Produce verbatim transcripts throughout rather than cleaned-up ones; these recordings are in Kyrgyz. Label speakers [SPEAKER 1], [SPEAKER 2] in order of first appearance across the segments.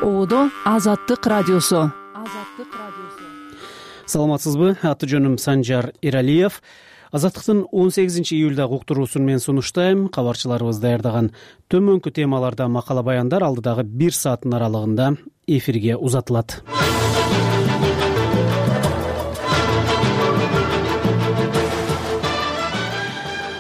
[SPEAKER 1] Оодо Азаттык радиосу. Азаттык радиосу.
[SPEAKER 2] Саламатсызбы? Аты жөнүм Санжар Иралиев. Азаттыктын он сегизинчи июлдагы уктуруусун мен сунуштайм. Кабарчыларыбыз даярдаган төмөнкү темаларда макала баяндар алдыдагы бир сааттын аралыгында эфирге узатылат.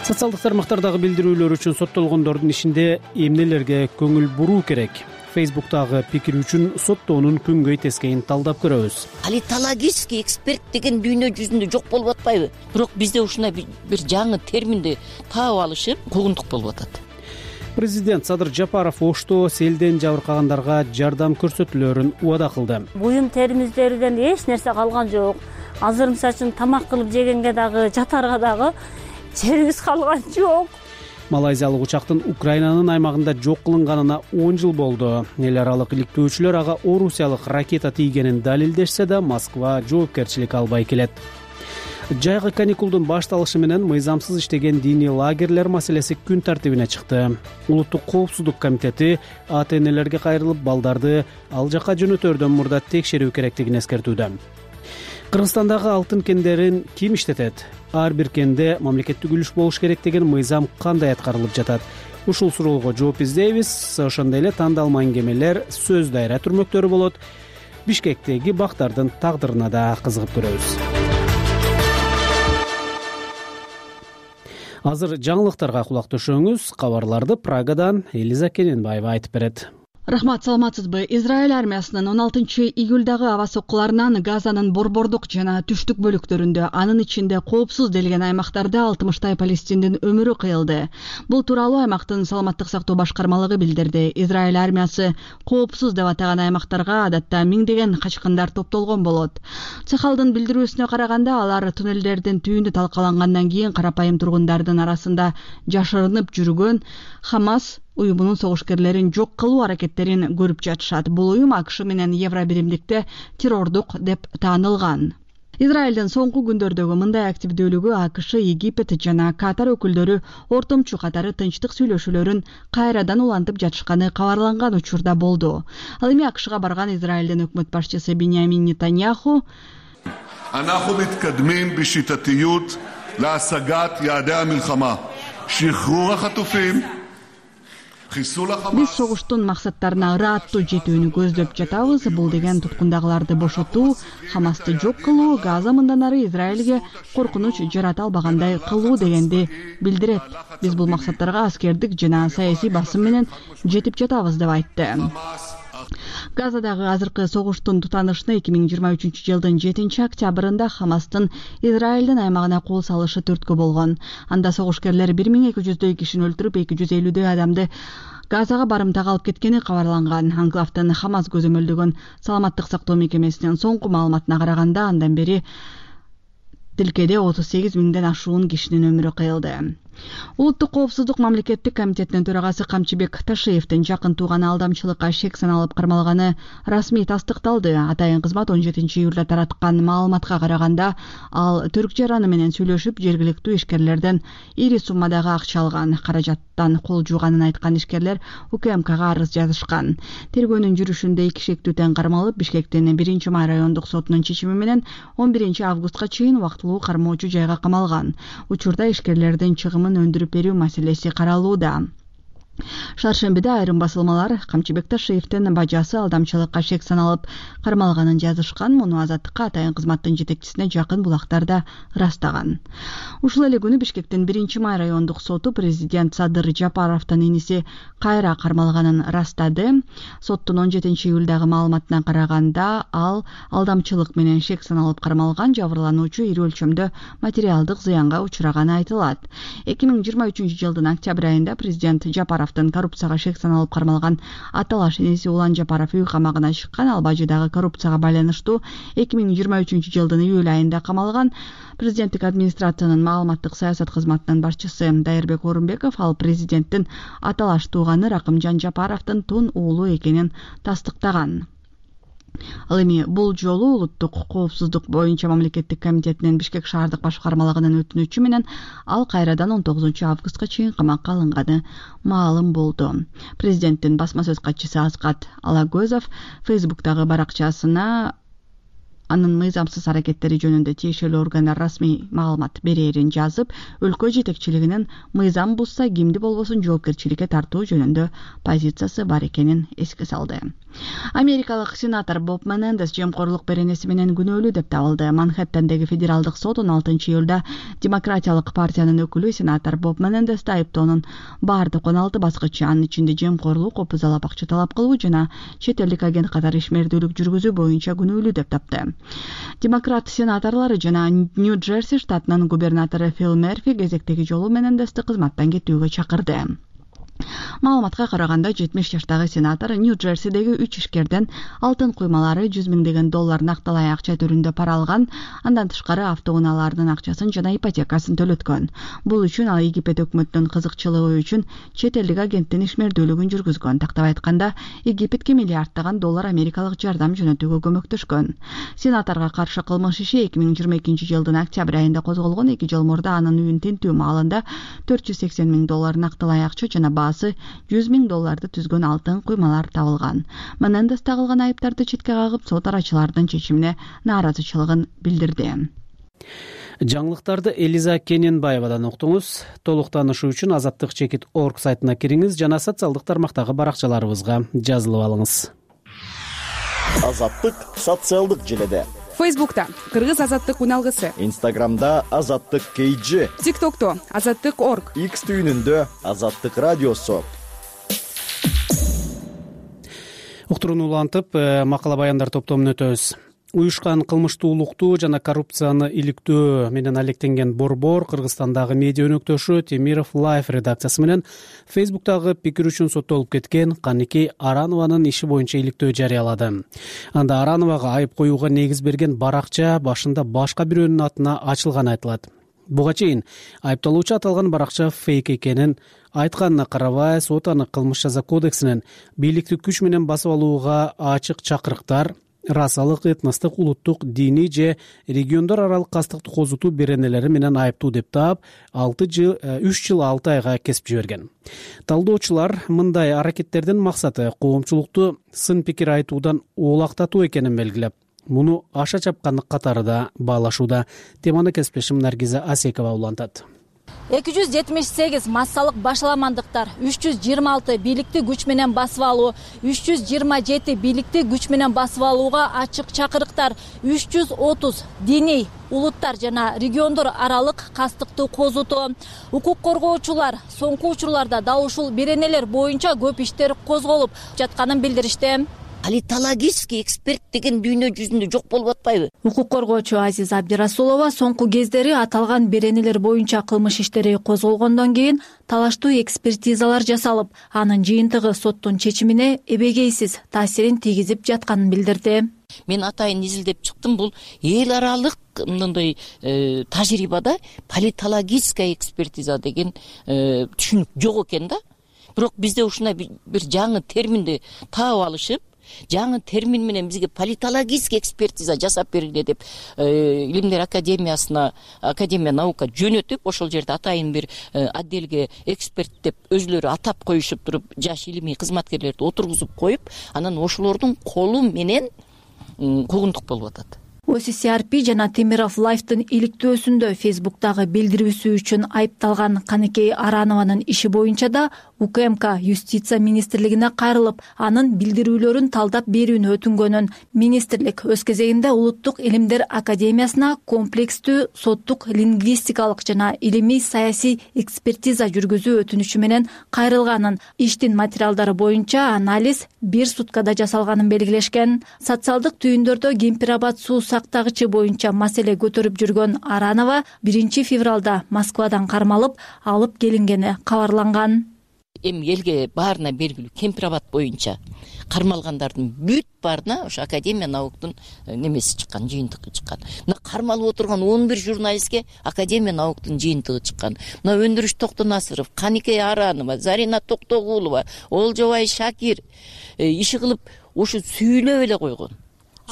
[SPEAKER 2] Социалдык тармактардагы билдирүүлөр үчүн соттолгондордун ишинде эмнелерге көңүл буруу керек? Фейсбуктагы пикир үчүн соттоонун күнгөй тескейин талдап көрөбүз.
[SPEAKER 3] Политологический эксперт деген дүйнө жүзүндө жок болуп атпайбы? Бирок бизде ушундай бир жаңы терминди таап алышып куугунтук болуп атат.
[SPEAKER 2] Президент Садыр Жапаров Ошто селден жабыркагандарга жардам көрсөтүүлөрүн убада кылды.
[SPEAKER 4] Буюм терибиздерден эч нерсе калган жок. Азыр мисалы үчүн тамак кылып жегенге дагы, жатарга дагы жерибиз калган жок.
[SPEAKER 2] Малайзиялык учактын Украинанын аймагында жок кылынганына он жыл болду. Эл аралык иликтөөчүлөр ага орусиялык ракета тийгенин далилдешсе да, Москва жоопкерчилик албай келет. Жайгы каникулдун башталышы менен мыйзамсыз иштеген диний лагерлер маселеси күн тартибине чыкты. Улуттук коопсуздук комитети ата энелерге кайрылып, балдарды ал жакка жөнөтөрдөн мурда текшерүү керектигин эскертүүдө. Кыргызстандагы алтын кендерин ким иштетет? Ар бир кенде мамлекеттик үлүш болуш керек деген мыйзам кандай аткарылып жатат? Ушул суроого жооп издейбиз. Ошондой эле тандалма эңгемелер, сөз дайра түрмөктөрү болот. Бишкектеги бактардын тагдырына да кызыгып көрөбүз. Азыр жаңылыктарга кулак төшөңүз. Кабарларды Прагадан Элиза Кененбаева айтып берет.
[SPEAKER 5] Рахмат, саламатсызбы? Израиль армиясынын он алтынчы июлдагы аба соккуларынан Газанын борбордук жана түштүк бөлүктөрүндө, анын ичинде коопсуз делген аймактарда алтымыштай палестиндин өмүрү кыйылды. Бул тууралуу аймактын саламаттык сактоо башкармалыгы билдирди. Израиль армиясы коопсуз деп атаган аймактарга адатта миңдеген качкындар топтолгон болот. Цехалдын билдирүүсүнө караганда, алар туннелдердин түйүнү талкалангандан кийин карапайым тургундардын арасында жашырынып жүргөн Хамас уюмунун согушкерлерин жок кылуу аракеттерин көрүп жатышат. Бул уюм АКШ менен Евро биримдикте террордук деп таанылган. Израилдин соңку күндөрдөгү мындай активдүүлүгү АКШ, Египет жана Катар өкүлдөрү ортомчу катары тынчтык сүйлөшүүлөрүн кайрадан улантып жатышканы кабарланган учурда болду. Ал эми АКШга барган Израилдин өкмөт башчысы Биньямин Нетаньяху
[SPEAKER 6] אנחנו מתקדמים בשיטתיות להשגת יעדי המלחמה, שחרור החטופים,
[SPEAKER 5] Биз согуштун максаттарына ыраттуу жетүүнү көздөп жатабыз. Бул деген туткундагыларды бошотуу, Хамасты жок кылуу, Газа мындан ары Израилге коркунуч жарата албагандай кылуу дегенди билдирет. Биз бул максаттарга аскердик жана саясий басым менен жетип жатабыз деп айтты. Газадагы азыркы согуштун тутанышына эки миң жыйырма үчүнчү жылдын жетинчи октябрында Хамастын Израилдин аймагына кол салышы түрткү болгон. Анда согушкерлер бир миң эки жүздөй кишини өлтүрүп, эки жүз элүүдөй адамды Газага барымтага алып кеткени кабарланган. Анклавдын Хамас көзөмөлдөгөн саламаттык сактоо мекемесинин соңку маалыматына караганда, андан бери тилкеде отуз сегиз миңден ашуун кишинин өмүрү кыйылды. Улуттук коопсуздук мамлекеттик комитетинин төрагасы Камчыбек Ташиевдин жакын тууганы алдамчылыкка шек саналып кармалганы расмий тастыкталды. Атайын кызмат он жетинчи июлда тараткан маалыматка караганда, ал Түрк жараны менен сүйлөшүп, жергиликтүү ишкерлерден ири суммадагы акча алган. Каражаттан кол жууганын айткан ишкерлер УКМКга арыз жазышкан. Тергөөнүн жүрүшүндө эки шектүү тең кармалып, Бишкектин биринчи май райондук сотунун чечими менен он биринчи августка чейин убактылуу кармоочу жайга камалган. Учурда ишкерлердин чыгымын өндүрүп берүү маселеси каралууда. Шаршембиде айрым басылмалар Камчыбек Ташиевдин бажасы алдамчылыкка шек саналып кармалганын жазышкан. Муну Азаттыкка атайын кызматтын жетекчисине жакын булактарда ырастаган. Ушул эле күнү Бишкектин биринчи май райондук соту президент Садыр Жапаровдун иниси кайра кармалганын ырастады. Соттун он жетинчи июлдагы маалыматына караганда, ал алдамчылык менен шек саналып кармалган. Жабырлануучу ири өлчөмдө материалдык зыянга учураганы айтылат. эки миң жыйырма үчүнчү жылдын октябрь айында президент Жапаров коррупцияга шек саналып кармалган аталаш иниси Улан Жапаров үй камагына чыккан. Ал бажыдагы коррупцияга байланыштуу эки миң жыйырма үчүнчү жылдын июль айында камалган. Президенттик администрациянын маалыматтык саясат кызматынын башчысы Дайырбек Орунбеков ал президенттин аталаш тууганы Ракымжан Жапаровдун тун уулу экенин тастыктаган. Ал эми бул жолу улуттук коопсуздук боюнча мамлекеттик комитетинин Бишкек шаардык башкармалыгынын өтүнүчү менен ал кайрадан он тогузунчу августка чейин камакка алынганы маалым болду. Президенттин басма сөз катчысы Аскат Алагөзов Фейсбуктагы баракчасына анын мыйзамсыз аракеттери жөнүндө тиешелүү органдар расмий маалымат берерин жазып, өлкө жетекчилигинин мыйзам бузса кимди болбосун жоопкерчиликке тартуу жөнүндө позициясы бар экенин эске салды. Америкалык сенатор Боб Менендес жемкорлук беренеси менен күнөөлүү деп табылды. Манхэттендеги федералдык сот он алтынчы июлда демократиялык партиянын өкүлү сенатор Боб Менендести айыптоонун баардык он алты баскычы, анын ичинде жемкорлук, опузалап акча талап кылуу жана чет элдик агент катары ишмердүүлүк жүргүзүү боюнча күнөөлүү деп тапты. Демократ сенаторлору жана Нью-Джерси штатынын губернатору Фил Мерфи кезектеги жолу Менендести кызматтан кетүүгө чакырды. Маалыматка караганда жетимиш жаштагы сенатор Нью-Джерсидеги үч ишкерден алтын куймалары жүз миңдеген доллар накталай акча түрүндө пара алган, андан тышкары автоунаалардын акчасын жана ипотекасын төлөткөн. Бул үчүн ал Египет өкмөтүнүн кызыкчылыгы үчүн чет элдик агенттин ишмердүүлүгүн жүргүзгөн. Тактап айтканда, Египетке миллиарддаган доллар америкалык жардам жөнөтүүгө көмөктөшкөн. Сенаторго каршы кылмыш иши эки миң жыйырма экинчи жылдын октябрь айында козголгон. эки жыл мурда анын үйүн тинтүү маалында төрт жүз сексен миң доллар накталай акча жана жүз миң долларды түзгөн алтын куймалар табылган. Менендес тагылган айыптарды четке кагып, сот арачылардын чечимине нааразычылыгын билдирди.
[SPEAKER 2] Жаңылыктарды Элиза Кененбаевадан уктуңуз. Толук таанышуу үчүн азаттык чекит точка орг сайтына кириңиз жана социалдык тармактагы баракчаларыбызга жазылып алыңыз.
[SPEAKER 7] Азаттык социалдык желеде.
[SPEAKER 1] Фейсбукта Кыргыз азаттык уналгысы,
[SPEAKER 7] Инстаграмда Азаттык кей джи,
[SPEAKER 1] ТикТокто Азаттык точка орг,
[SPEAKER 7] X түйүнүндө Азаттык радиосу.
[SPEAKER 2] Уктурууну улантып, макала баяндар топтомун өтөбүз. Уюшкан кылмыштуулукту жана коррупцияны иликтөө менен алектенген Борбор Кыргызстандагы медиа өнөктөшү Темиров Лайф редакциясы менен Фейсбуктагы пикир үчүн соттолуп кеткен Каникей Аранованын иши боюнча иликтөө жарыялады. Анда Арановага айып коюуга негиз берген баракча башында башка бирөөнүн атына ачылганы айтылат. Буга чейин айыпталуучу аталган баракча фейк экенин айтканына карабай, сот аны кылмыш жаза кодексинин бийликти күч менен басып алууга ачык чакырыктар, расалык, этностук, улуттук, диний же региондор аралык кастыкты козутуу беренелери менен айыптуу деп таап, үч жыл алты айга кесип жиберген. Талдоочулар мындай аракеттердин максаты коомчулукту сын пикир айтуудан оолактатуу экенин белгилеп, муну аша чапкандык катары да баалашууда. Теманы кесиптешим Наргиза Асекова улантат.
[SPEAKER 8] эки жүз жетимиш сегиз массалык башаламандыктар, үч жүз жыйырма алты бийликти күч менен басып алуу, үч жүз жыйырма жети бийликти күч менен басып алууга ачык чакырыктар, үч жүз отуз диний, улуттар жана региондор аралык кастыкты козутуу. Укук коргоочулар соңку учурларда дал ушул беренелер боюнча көп иштер козголуп жатканын билдиришти.
[SPEAKER 3] Политологический эксперт деген дүйнө жүзүндө жок болуп атпайбы?
[SPEAKER 8] Укук коргоочу Азиза Абдирасулова соңку кездери аталган беренелер боюнча кылмыш иштери козголгондон кийин талаштуу экспертизалар жасалып, анын жыйынтыгы соттун чечимине эбегейсиз таасирин тийгизип жатканын билдирди.
[SPEAKER 3] Мен атайын изилдеп чыктым, бул эл аралык мындай тажрыйбада политологическая экспертиза деген түшүнүк жок экен да. Бирок бизде ушундай бир жаңы терминди таап алышып, жаңы термин менен бизге политологический экспертиза жасап бергиле деп Илимдер академиясына, Академия наука жөнөтүп, ошол жерде атайын бир отделге эксперт деп өзүлөрү атап коюшуп туруп, жаш илимий кызматкерлерди отургузуп коюп, анан ошолордун колу менен куугунтук болуп атат.
[SPEAKER 8] О С С Р П жана Темиров Лайфтын иликтөөсүндө Фейсбуктагы билдирүүсү үчүн айыпталган Каникей Аранованын иши боюнча да У К М К Юстиция министрлигине кайрылып, анын билдирүүлөрүн талдап берүүнү өтүнгөнүн министрлик өз кезегинде Улуттук илимдер академиясына комплекстүү соттук лингвистикалык жана илимий саясий экспертиза жүргүзүү өтүнүчү менен кайрылганын, иштин материалдары боюнча анализ бир суткада жасалганын белгилешкен. Социалдык түйүндөрдө кемпирабад суу сактагычы боюнча маселе көтөрүп жүргөн Аранова биринчи февралда Москвадан кармалып алып келингени кабарланган.
[SPEAKER 3] Эми элге баарына белгилүү, Кемпирабад боюнча кармалгандардын бүт баарына ошо Академия науктун немеси чыккан, жыйынтыгы чыккан. Мына кармалып отурган он бир журналистке Академия науктун жыйынтыгы чыккан. Мына Өндүрүш Токтонасыров, Каникей Аранова, Зарина Токтогулова, Олжобай Шакир иши кылып ошо сүйлөп эле койгон.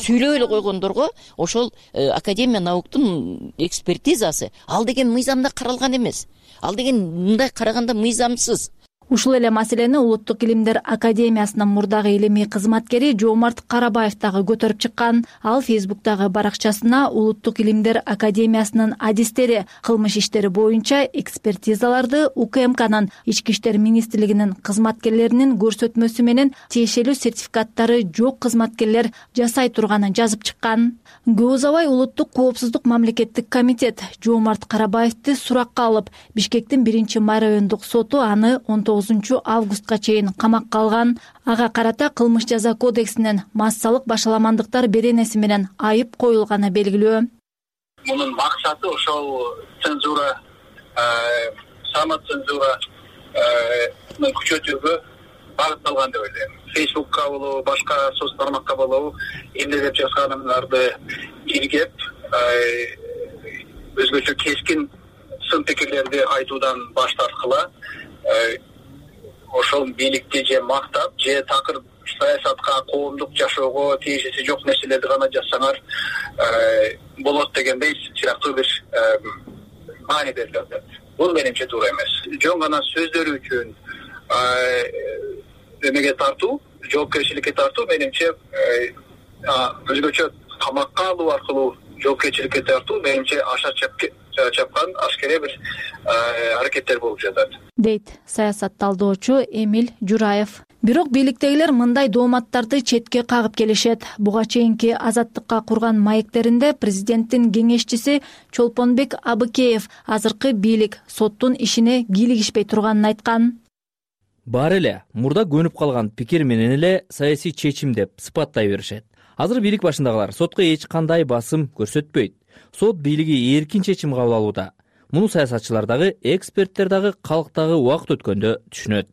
[SPEAKER 3] сүйлөп эле койгондорго ошол Академия науктун экспертизасы ал деген мыйзамда каралган эмес. Ал деген мындай караганда мыйзамсыз.
[SPEAKER 8] Ушул эле маселени Улуттук илимдер академиясынын мурдагы илимий кызматкери Жоомарт Карабаев дагы көтөрүп чыккан. Ал Фейсбуктагы баракчасына Улуттук илимдер академиясынын адистери кылмыш иштери боюнча экспертизаларды УКМКнын Ички иштер министрлигинин кызматкерлеринин көрсөтмөсү менен тиешелүү сертификаттары жок кызматкерлер жасай турганын жазып чыккан. Көп узабай Улуттук коопсуздук мамлекеттик комитет Жоомарт Карабаевди суракка алып, Бишкектин биринчи май райондук соту аны он тогузунчу августка чейин камакка алган. Ага карата кылмыш жаза кодексинин массалык башаламандыктар беренеси менен айып коюлганы белгилүү.
[SPEAKER 9] Мунун максаты ошол цензура, самоцензура күчөтүүгө багытталган деп ойлойм. Фейсбукка болобу, башка соц тармакка болобу эмне деп жазганымдарды иргеп, өзгөчө кескин сын пикирлерди айтуудан баш тарткыла, ошол бийликти же мактап, же такыр саясатка, коомдук жашоого тиешеси жок нерселерди гана жазсаңар болот дегендей сыяктуу бир маани берилет. Бул менимче туура эмес. Жөн гана сөздөрү үчүн эмеге тартуу, жоопкерчиликке тартуу менимче өзгөчө камакка алуу аркылуу жоопкерчиликке тартуу менимче аша чапкан ашкере бир аракеттер болуп жатат,
[SPEAKER 8] дейт саясат талдоочу Эмиль Жураев. Бирок бийликтегилер мындай дооматтарды четке кагып келишет. Буга чейинки Азаттыкка курган маектеринде президенттин кеңешчиси Чолпонбек Абыкеев азыркы бийлик соттун ишине кийлигишпей турганын айткан.
[SPEAKER 10] Бар эле мурда көнүп калган пикир менен эле саясий чечим деп сыпаттай беришет. Азыр бийлик башындагылар сотко эч кандай басым көрсөтпөйт. Сот бийлиги эркин чечим кабыл алууда. Муну саясатчылар дагы, эксперттер дагы калк дагы убакыт өткөндө түшүнөт.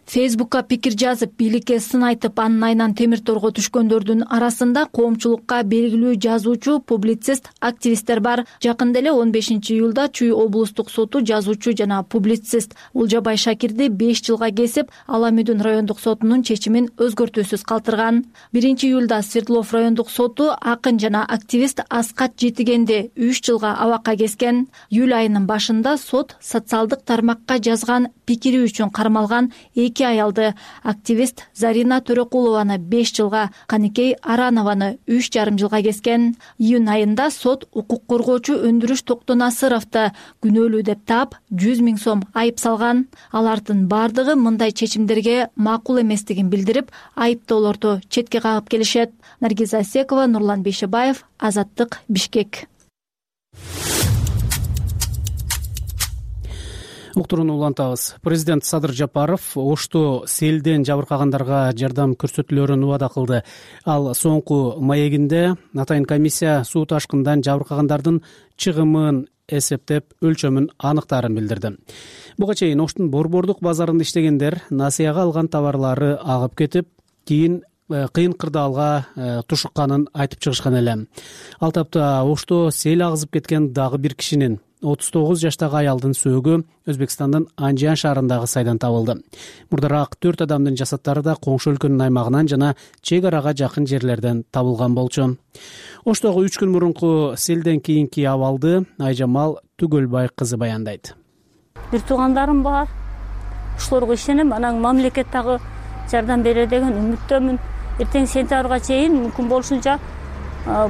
[SPEAKER 10] Фейсбукка
[SPEAKER 8] пикир жазып, бийликке сын айтып, анын айынан темир торго түшкөндөрдүн арасында коомчулукка белгилүү жазуучу, публицист, активисттер бар. Жакында эле он бешинчи июлда Чүй облустук соту жазуучу жана публицист Улжабай Шакирди беш жылга кесип, Аламүдүн райондук сотунун чечимин өзгөртүүсүз калтырган. биринчи июлда Свердлов райондук соту акын жана активист Аскат Жетигенди үч жылга абакка кескен. Июль айынын башында сот социалдык тармакка жазган пикири үчүн кармалган эки аялды, активист Зарина Төрөкулованы беш жылга, Каникей Аранованы үч жарым жылга кескен. Июнь айында сот укук коргоочу Өндүрүш Токтонасыровду күнөөлүү деп таап, жүз миң сом айып салган. Алардын бардыгы мындай чечимдерге макул эместигин билдирип, айыптоолорду четке кагып келишет. Наргиза Асекова, Нурлан Бейшебаев, Азаттык, Бишкек.
[SPEAKER 2] Уктурууну улантабыз. Президент Садыр Жапаров Ошту селден жабыркагандарга жардам көрсөтүлөрүн убада кылды. Ал соңку маегинде атайын комиссия суу ташкындан жабыркагандардын чыгымын эсептеп, өлчөмүн аныктаарын билдирди. Буга чейин Оштун борбордук базарында иштегендер насыяга алган товарлары агып кетип, кийин кыйын кырдаалга тушукканын айтып чыгышкан эле. Ал тапта Ошту сел агызып кеткен дагы бир кишинин отуз тогуз жаштагы аялдын сөөгү Өзбекстандын Анжиан шаарындагы сайдан табылды. Мурдараак төрт адамдын жасаттары да коңшу өлкөнүн аймагынан жана чек арага жакын жерлерден табылган болчу. Оштогу үч күн мурунку селден кийинки абалды Айжамал Түгөлбай кызы баяндайт.
[SPEAKER 4] Бир туугандарым бар. Ошолорго ишенем, анан мамлекет дагы жардам берет деген үмүттөмүн. Эртең сентябрга чейин мүмкүн болушунча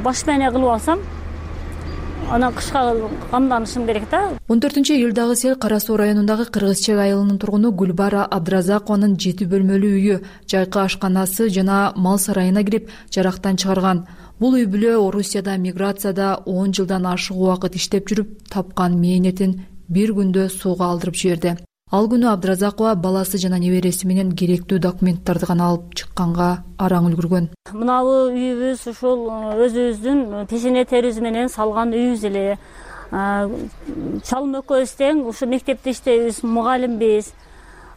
[SPEAKER 4] баш менен кылып алсам, анан кышка камданышым керек да.
[SPEAKER 11] он төртүнчү июлдагы сел Кара Суу районундагы Кыргызчек айылынын тургуну Гүлбара Абдыразакованын жети бөлмөлүү үйү, жайкы ашканасы жана мал сарайына кирип жарактан чыгарган. Бул үй бүлө Орусияда миграцияда он жылдан ашык убакыт иштеп жүрүп тапкан мээнетин бир күндө сууга алдырып жиберди. Ал күнү Абдыразакова баласы жана небереси менен керектүү документтарды гана алып чыкканга араң үлгүргөн.
[SPEAKER 4] Мынабы үйүбүз ушул өзүбүздүн пешене терибиз менен салган үйүбүз эле. Чалым экөөбүз тең ушу мектепте иштейбиз, мугалимбиз.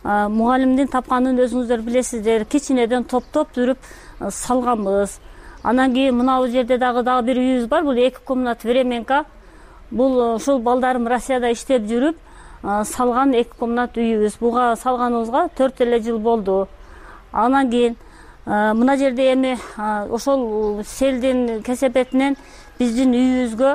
[SPEAKER 4] Мугалимдин тапканын өзүңүздөр билесиздер, кичинеден топтоп жүрүп салганбыз. Анан кийин мынабы жерде дагы дагы бир үйүбүз бар, бул эки комнат временка. Бул ушул балдарым Россияда иштеп жүрүп салган эки комнат үйүбүз. Буга салганыбызга төрт эле жыл болду. Анан кийин Мына жерде эми ошол селдин кесепетинен биздин үйүбүзгө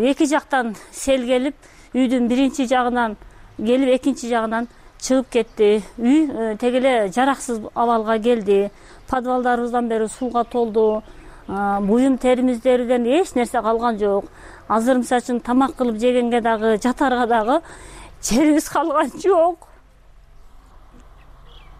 [SPEAKER 4] эки жактан сел келип, үйдүн биринчи жагынан келип, экинчи жагынан чыгып кетти. Үй теги эле жараксыз абалга келди. Подвалдарыбыздан бери сууга толду. Буюм теримиздерден эч нерсе калган жок. Азыр мисалы үчүн тамак кылып жегенге дагы, жатарга дагы жерибиз калган жок.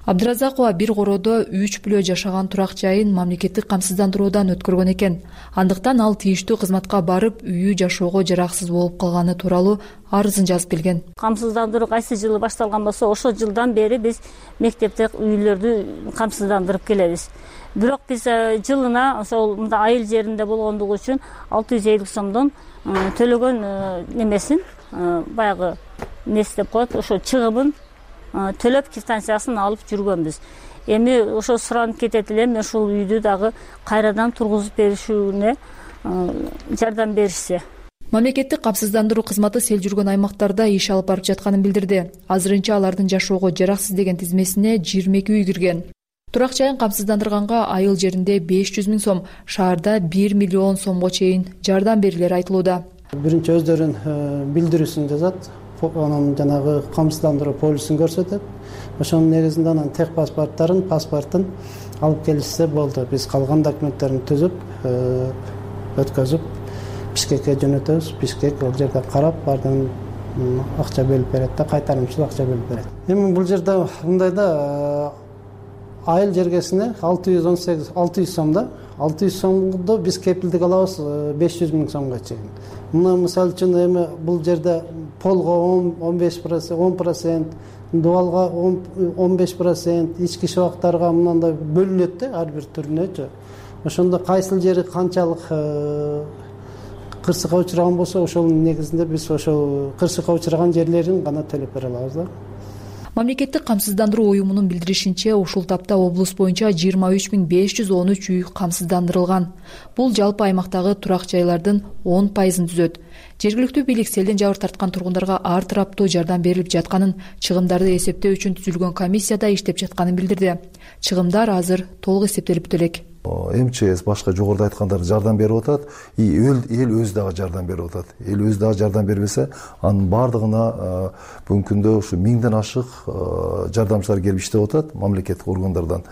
[SPEAKER 11] Абдыразакова бир короодо үч бүлө жашаган турак жайын мамлекеттик камсыздандыруудан өткөргөн экен. Андыктан ал тийиштүү кызматка барып, үйү жашоого жараксыз болуп калганы тууралуу арызын жазып келген.
[SPEAKER 4] Камсыздандыруу кайсы жылы башталган болсо, ошол жылдан бери биз мектепте үйлөрдү камсыздандырып келебиз. Бирок биз жылына ошол мында айыл жеринде болгондугу үчүн алты жүз элүү сомдон төлөгөн немесин, баягы несі деп коет, ошо чыгымын төлөп квитанциясын алып жүргөнбүз. Эми ошо суранып кетет элем, ошол үйдү дагы кайрадан тургузуп беришүүнө жардам беришсе.
[SPEAKER 11] Мамлекеттик камсыздандыруу кызматы сел жүргөн аймактарда иш алып барып жатканын билдирди. Азырынча алардын жашоого жараксыз деген тизмесине жыйырма эки үй кирген. Турак жайын камсыздандырганга айыл жеринде беш жүз миң сом, шаарда бир миллион сомго чейин жардам берилери айтылууда.
[SPEAKER 12] Биринчи өздөрүнүн билдирүүсүн жазат, анан жанагы камсыздандыруу полисин көрсөтөт. Ошонун негизинде анан тех паспорттарын, паспортун алып келишсе болду. Биз калган документтерин түзүп, өткөзүп, Бишкекке жөнөтөбүз. Бишкек ал жерде карап, бардын акча бөлүп берет да, кайтарымчыл акча бөлүп берет. Эми бул жерде мындай да айыл жергесине алты жүз он сегиз алты жүз сом да, алты жүз сомду биз кепилдик алабыз беш жүз миң сомго чейин. Мына мисалы үчүн эми бул жерде полго он беш процент, он процент, дубалга он беш процент, ички шыбактарга мындай бөлүнөт да, ар бир түрүнөчү. Ошондо кайсыл жери канчалык кырсыкка учураган болсо, ошонун негизинде биз ошол кырсыкка учураган жерлерин гана төлөп бере алабыз да.
[SPEAKER 11] Мамлекеттик камсыздандыруу уюмунун билдиришинче, ушул тапта облус боюнча жыйырма үч миң беш жүз он үч үй камсыздандырылган. Бул жалпы аймактагы турак жайлардын он пайызын түзөт. Жергиликтүү бийлик селден жабыр тарткан тургундарга ар тараптуу жардам берилип жатканын, чыгымдарды эсептөө үчүн түзүлгөн комиссияда иштеп жатканын билдирди. Чыгымдар азыр толук эсептелип элек.
[SPEAKER 13] МЧС башка жогоруда айткандар жардам берип атат, эл өзү дагы жардам берип атат. Эл өзү дагы жардам бербесе, анын бардыгына бүгүнкү күндө ушу миңден ашык жардамчылар келип иштеп атат мамлекеттик органдардан.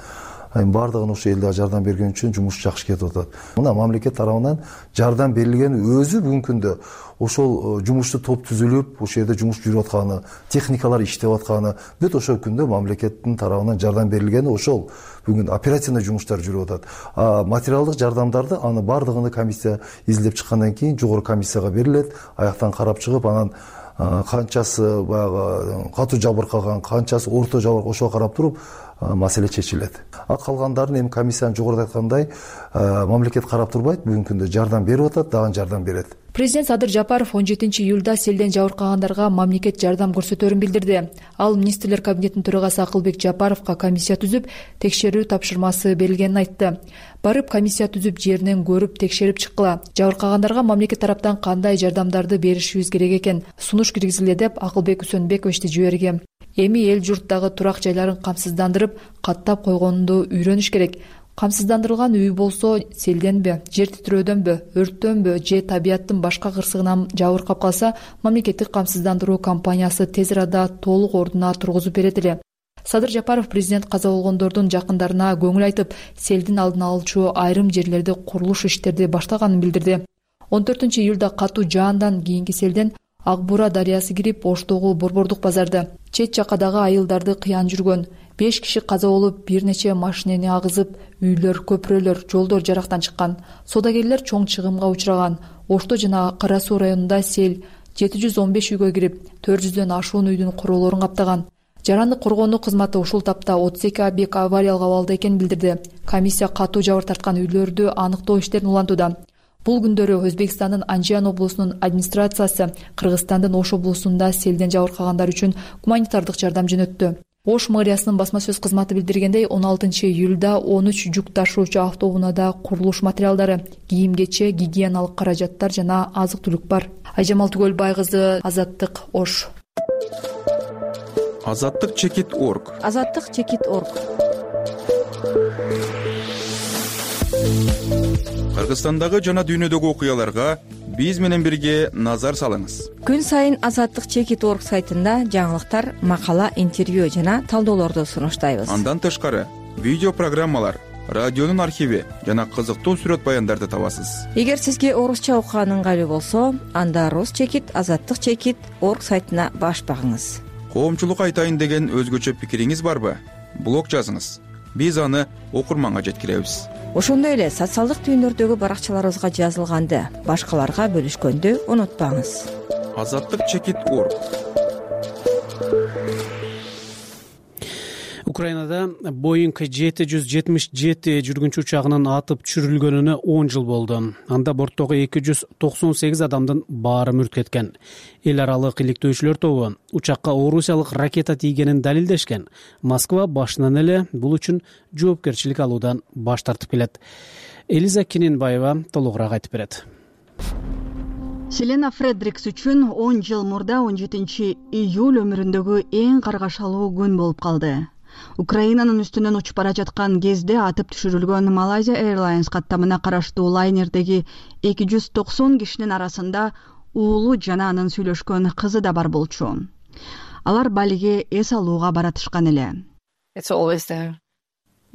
[SPEAKER 13] Айын бардыгына ушу эл дагы жардам берген үчүн жумуш жакшы кетип атат. Мына мамлекет тарабынан жардам берилгени өзү бүгүнкү күндө ошол жумушту топ түзүлүп, ошол жерде жумуш жүрүп атканы, техникалар иштеп атканы, бүт ошол күндө мамлекеттин тарабынан жардам берилгени ошол бүгүн оперативный жумуштар жүрүп атат. А материалдык жардамдарды аны бардыгын комиссия изилдеп чыккандан кийин жогорку комиссияга берилет, аяктан карап чыгып, анан канчасы баягы катуу жабыркаган, канчасы орто жабыркаган, ошого карап туруп маселе чечилет. А калгандарын эми комиссиянын жогоруда айткандай мамлекет карап турбайт, бүгүнкү күндө жардам берип атат, дагы жардам берет.
[SPEAKER 11] Президент Садыр Жапаров он жетинчи июлда селден жабыркагандарга мамлекет жардам көрсөтөрүн билдирди. Ал министрлер кабинетинин төрагасы Акылбек Жапаровго комиссия түзүп, текшерүү тапшырмасы берилгенин айтты. Барып комиссия түзүп, жеринен көрүп, текшерип чыккыла. Жабыркагандарга мамлекет тараптан кандай жардамдарды беришибиз керек экен, сунуш киргизиле деп Акылбек Үсөнбековичти жиберген. Эми эл журттагы турак жайларын камсыздандырып, каттап койгонду үйрөнүш керек. Камсыздандырылган үй болсо селденби, жер титирөөдөнбү, өрттөнбү же табияттын башка кырсыгынан жабыркап калса, мамлекеттик камсыздандыруу компаниясы тез арада толук ордуна тургузуп берет эле. Садыр Жапаров президент каза болгондордун жакындарына көңүл айтып, селдин алдын алуучу айрым жерлерде курулуш иштерди баштаганын билдирди. он төртүнчү июлда катуу жаандан кийинки селден Ак Бура дарыясы кирип, Оштогу Борбордук базарды, чет жакадагы айылдарды кыян жүргөн. беш киши каза болуп, бир нече машинени агызып, үйлөр, көпүрөлөр, жолдор жарактан чыккан. Соодагерлер чоң чыгымга учураган. Ошто жана Кара Суу районунда сел жети жүз он беш үйгө кирип, төрт жүздөн ашуун үйдүн курулоорун каптаган. Жаранды коргонуу кызматы ушул тапта отуз эки объект авариялык абалда экенин билдирди. Комиссия катуу жабыр тарткан үйлөрдү аныктоо иштерин улантууда. Бул күндөрү Өзбекстандын Анжиян облусунун администрациясы Кыргызстандын Ош облусунда селден жабыркагандар үчүн гуманитардык жардам жөнөттү. Ош мэриясынын басма сөз кызматы билдиргендей, он алтынчы июлда он үч жүк ташуучу автоунаада курулуш материалдары, кийим-кече, гигиеналык каражаттар жана азык-түлүк бар. Айжамал Түгөлбай кызы, Азаттык, Ош.
[SPEAKER 14] Азаттык чекит точка орг.
[SPEAKER 1] Азаттык чекит точка орг.
[SPEAKER 14] Кыргызстандагы жана дүйнөдөгү окуяларга биз менен бирге назар салыңыз.
[SPEAKER 15] Күн сайын Азаттык чекит орг сайтында жаңылыктар, макала, интервью жана талдоолорду сунуштайбыз.
[SPEAKER 14] Андан тышкары видео программалар, радионун архиви жана кызыктуу сүрөт баяндарды табасыз.
[SPEAKER 15] Эгер сизге орусча окуган ыңгайлуу болсо, анда Рус чекит, Азаттык чекит орг сайтына баш багыңыз.
[SPEAKER 14] Коомчулук айтайын деген өзгөчө пикириңиз барбы? Блог жазыңыз. Биз аны окурманга жеткиребиз.
[SPEAKER 15] Ошондой эле социалдык түйүндөрдөгү баракчаларыбызга жазылганды башкаларга бөлүшкөндү унутпаңыз.
[SPEAKER 14] Азаттык чекит орг.
[SPEAKER 2] Украинада Боинг жети жүз жетимиш жети жүргүнчү учагынын атып түшүрүлгөнүнө он жыл болду. Анда борттогу эки жүз токсон сегиз адамдын баары мүрт кеткен. Эл аралык иликтөөчүлөр тобу учакка орусиялык ракета тийгенин далилдешкен. Москва башынан эле бул үчүн жоопкерчилик алуудан баш тартып келет. Элиза Киненбаева толугураак айтып берет.
[SPEAKER 5] Селена Фредрикс үчүн он жыл мурда он жетинчи июль өмүрүндөгү эң каргашалуу күн болуп калды. Украинанын үстүнөн учуп бара жаткан кезде атып түшүрүлгөн Malaysia Airlines каттамына караштуу лайнердеги эки жүз токсон кишинин арасында уулу жана анын сүйлөшкөн кызы да бар болчу. Алар Балиге эс алууга баратышкан эле.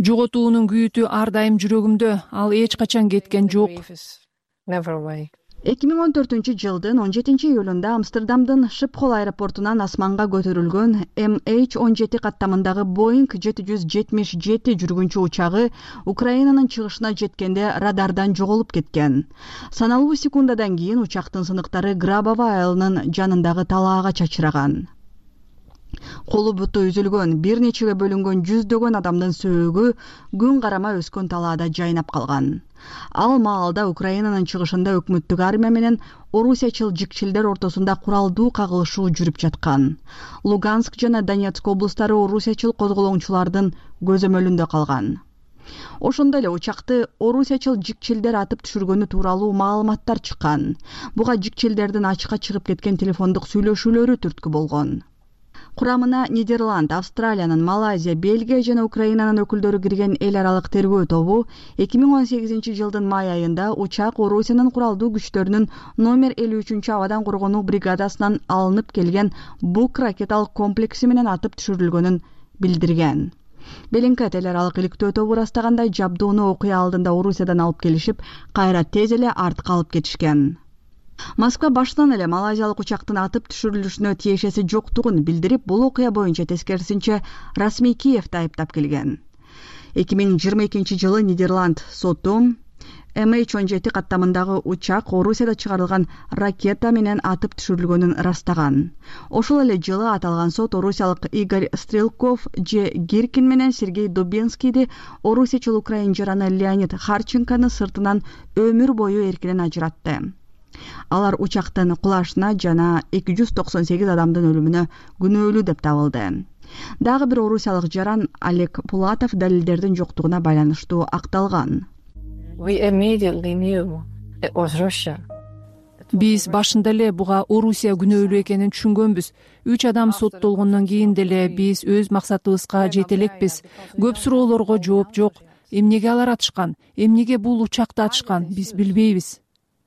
[SPEAKER 8] Жоготуунун күйүтү ар дайым жүрөгүмдө, ал эч качан кеткен жок.
[SPEAKER 5] эки миң он төртүнчү жылдын он жетинчи июлунда Амстердамдын Шипхол аэропортунан асманга көтөрүлгөн эм эйч он жети каттамындагы Боинг жети жүз жетимиш жети жүргүнчү учагы Украинанын чыгышына жеткенде радардан жоголуп кеткен. Саналуу секундадан кийин учактын сыныктары Грабово айылынын жанындагы талаага чачыраган. Колу буту үзүлгөн, бир нечеге бөлүнгөн жүздөгөн адамдын сөөгү күн карама өскөн талаада жайнап калган. Ал маалда Украинанын чыгышында өкмөттүк армия менен орусиячыл жикчилдер ортосунда куралдуу кагылышуу жүрүп жаткан. Луганск жана Донецк облустары орусиячыл козголоңчулардын көзөмөлүндө калган. Ошондой эле учакты орусиячыл жикчилдер атып түшүргөнү тууралуу маалыматтар чыккан. Буга жикчилдердин ачыкка чыгып кеткен телефондук сүйлөшүүлөрү түрткү болгон. Курамына Нидерланд, Австралиянын, Малайзия, Бельгия жана Украинанын өкүлдөрү кирген эл аралык тергөө тобу эки миң он сегизинчи жылдын май айында учак Орусиянын куралдуу күчтөрүнүн номер элүү үчүнчү абадан коргонуу бригадасынан алынып келген Бук ракеталык комплекси менен атып түшүрүлгөнүн билдирген. Белинкет эл аралык иликтөө тобу ырастагандай жабдууну окуя алдында Орусиядан алып келишип, кайра тез эле артка алып кетишкен. Москва баштан эле малайзиялык учактын атып түшүрүлүшүнө тиешеси жоктугун билдирип, бул окуя боюнча тескерисинче расмий Киевди айыптап келген. эки миң жыйырма экинчи жылы Нидерланд соту эм эйч он жети каттамындагы учак Орусияда чыгарылган ракета менен атып түшүрүлгөнүн ырастаган. Ошол эле жылы аталган сот орусиялык Игорь Стрелков, Же Гиркин менен Сергей Дубинскийди орусиячыл украин жараны Леонид Харченкону сыртынан өмүр бою эркинен ажыратты. Алар учактын кулашына жана эки жүз токсон сегиз адамдын өлүмүнө күнөөлүү деп табылды. Дагы бир орусиялык жаран Олег Пулатов далилдердин жоктугуна байланыштуу акталган.
[SPEAKER 8] Биз башында эле буга Орусия күнөөлүү экенин түшүнгөнбүз. Үч адам соттолгондон кийин деле биз өз максатыбызга жете элекпиз. Көп суроолорго жооп жок. Эмнеге алар атышкан? Эмнеге бул учакты атышкан? Биз билбейбиз.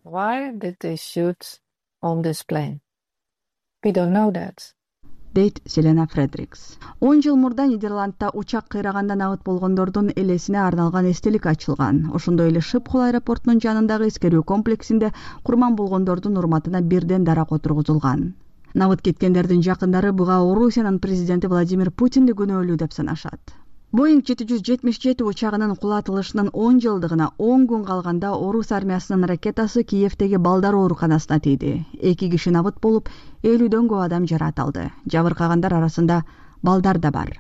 [SPEAKER 16] Why did they shoot on this plane? We don't know that.
[SPEAKER 5] Дейт Селена Фредрикс. он жыл мурда Нидерландда учак кыйрагандан абыт болгондордун элесине арналган эстелик ачылган. Ошондой эле Шипхол аэропортунун жанындагы эскерүү комплексинде курман болгондордун урматына бирден дарак отургузулган. Абыт кеткендердин жакындары буга Орусиянын президенти Владимир Путинди күнөөлүү деп санашат. Боинг жети жүз жетимиш жети учагынын кулатылышынын он жылдыгына он күн калганда орус армиясынын ракетасы Киевдеги балдар ооруканасына тийди. Эки киши абыт болуп, элүүдөн көп адам жаратылды. Жабыркагандар арасында балдар да бар.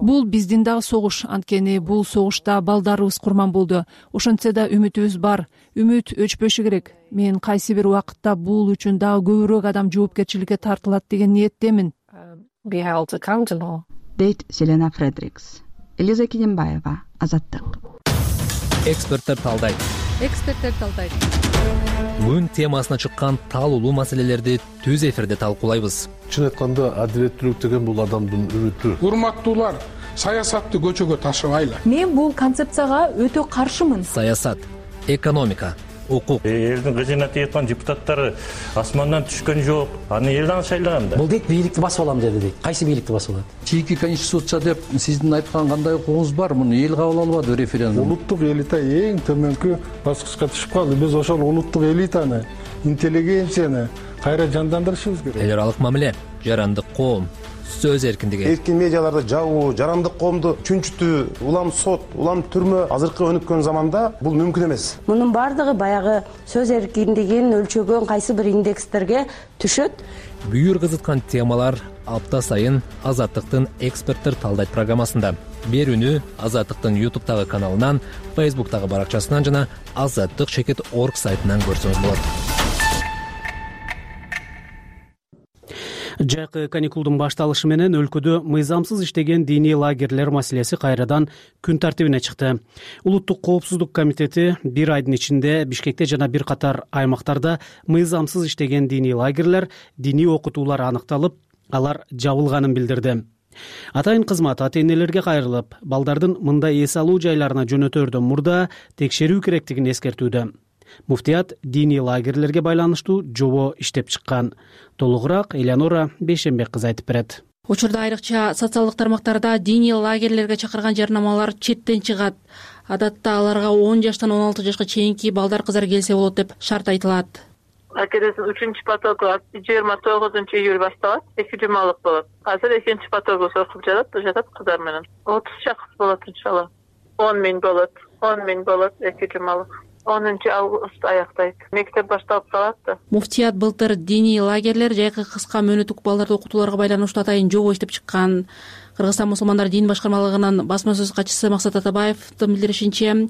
[SPEAKER 8] Бул биздин дагы согуш, анткени бул согушта балдарыбыз курман болду. Ошентсе да үмүтүбүз бар. Үмүт өчпөшү керек. Мен кайсы бир убакытта бул үчүн дагы көбүрөөк адам жоопкерчиликке тартылат деген ниеттемин.
[SPEAKER 5] Дейт Селена Фредрикс. Элиза Киненбаева, Азаттык.
[SPEAKER 10] Эксперттер талдайт.
[SPEAKER 11] эксперттер талдайт.
[SPEAKER 17] Күн темасына чыккан таалуулуу маселелерди түз эфирде талкуулайбыз.
[SPEAKER 18] Чын айтканда адилеттүүлүк деген бул адамдын үмүтү. Урматтуулар, саясатты көчөгө ташыбайлы.
[SPEAKER 11] Мен бул концепцияга өтө каршымын.
[SPEAKER 17] Саясат, экономика, укук.
[SPEAKER 19] Элдин кызына тийип депутаттары асмандан түшкөн жок. Аны элден шайлаган да.
[SPEAKER 20] Бул дейт бийликти басып алам деди дейт. Кайсы бийликти басып алат?
[SPEAKER 18] Чийки конституция деп сиздин айткан кандай укугуңуз бар? Муну эл кабыл албады референдум. Улуттук элита эң төмөнкү баскычка түшүп калды. Биз ошол улуттук элитаны, интеллигенцияны кайра жандандырышыбыз керек.
[SPEAKER 17] Эл аралык мамиле, жарандык коом, сөз эркиндиги.
[SPEAKER 21] Эркин медиаларды жабуу, жарандык коомду чүнчүтүү, улам сот, улам түрмө азыркы өнүккөн заманда бул мүмкүн эмес.
[SPEAKER 22] Мунун бардыгы баягы сөз эркиндигин өлчөгөн кайсы бир индекстерге түшөт.
[SPEAKER 17] Бүйүр кызыткан темалар апта сайын Азаттыктын эксперттер талдайт программасында. Берүүнү Азаттыктын ютубтагы каналынан, фейсбуктагы баракчасынан жана азаттык чекит точка орг сайтынан көрсөңүз болот.
[SPEAKER 2] Жайкы каникулдун башталышы менен өлкөдө мыйзамсыз иштеген диний лагерлер маселеси кайрадан күн тартибине чыкты. Улуттук коопсуздук комитети бир айдын ичинде Бишкекте жана бир катар аймактарда мыйзамсыз иштеген диний лагерлер, диний окутуулар аныкталып, алар жабылганын билдирди. Атайын кызмат ата-энелерге кайрылып, балдардын мындай эс алуу жайларына жөнөтөрдөн мурда текшерүү керектигин эскертүүдө. Муфтият диний лагерлерге байланыштуу жобо иштеп чыккан. Толугураак Элеонора Бейшенбек кызы айтып берет.
[SPEAKER 23] Учурда айрыкча социалдык тармактарда диний лагерлерге чакырган жарнамалар четтен чыгат. Адатта аларга он жаштан он алты жашка чейинки балдар кыздар келсе болот деп шарт айтылат.
[SPEAKER 24] Акедесин үчүнчү потогу жыйырма тогузунчу июль башталат, эки жумалык болот. Азыр экинчи потогу окуп жатат, жатат кыздар менен. отуз шакс болот иншалла. он миң болот, он миң болот эки жумалык. онунчу август аяктайт. Мектеп башталып калат да.
[SPEAKER 23] Муфтият былтыр диний лагерлер жайкы кыска мөөнөттүк балдарды окутууларга байланыштуу атайын жобо иштеп чыккан. Кыргызстан мусулмандар дин башкармалыгынын басма сөз катчысы Максат Атабаевдин билдиришинче,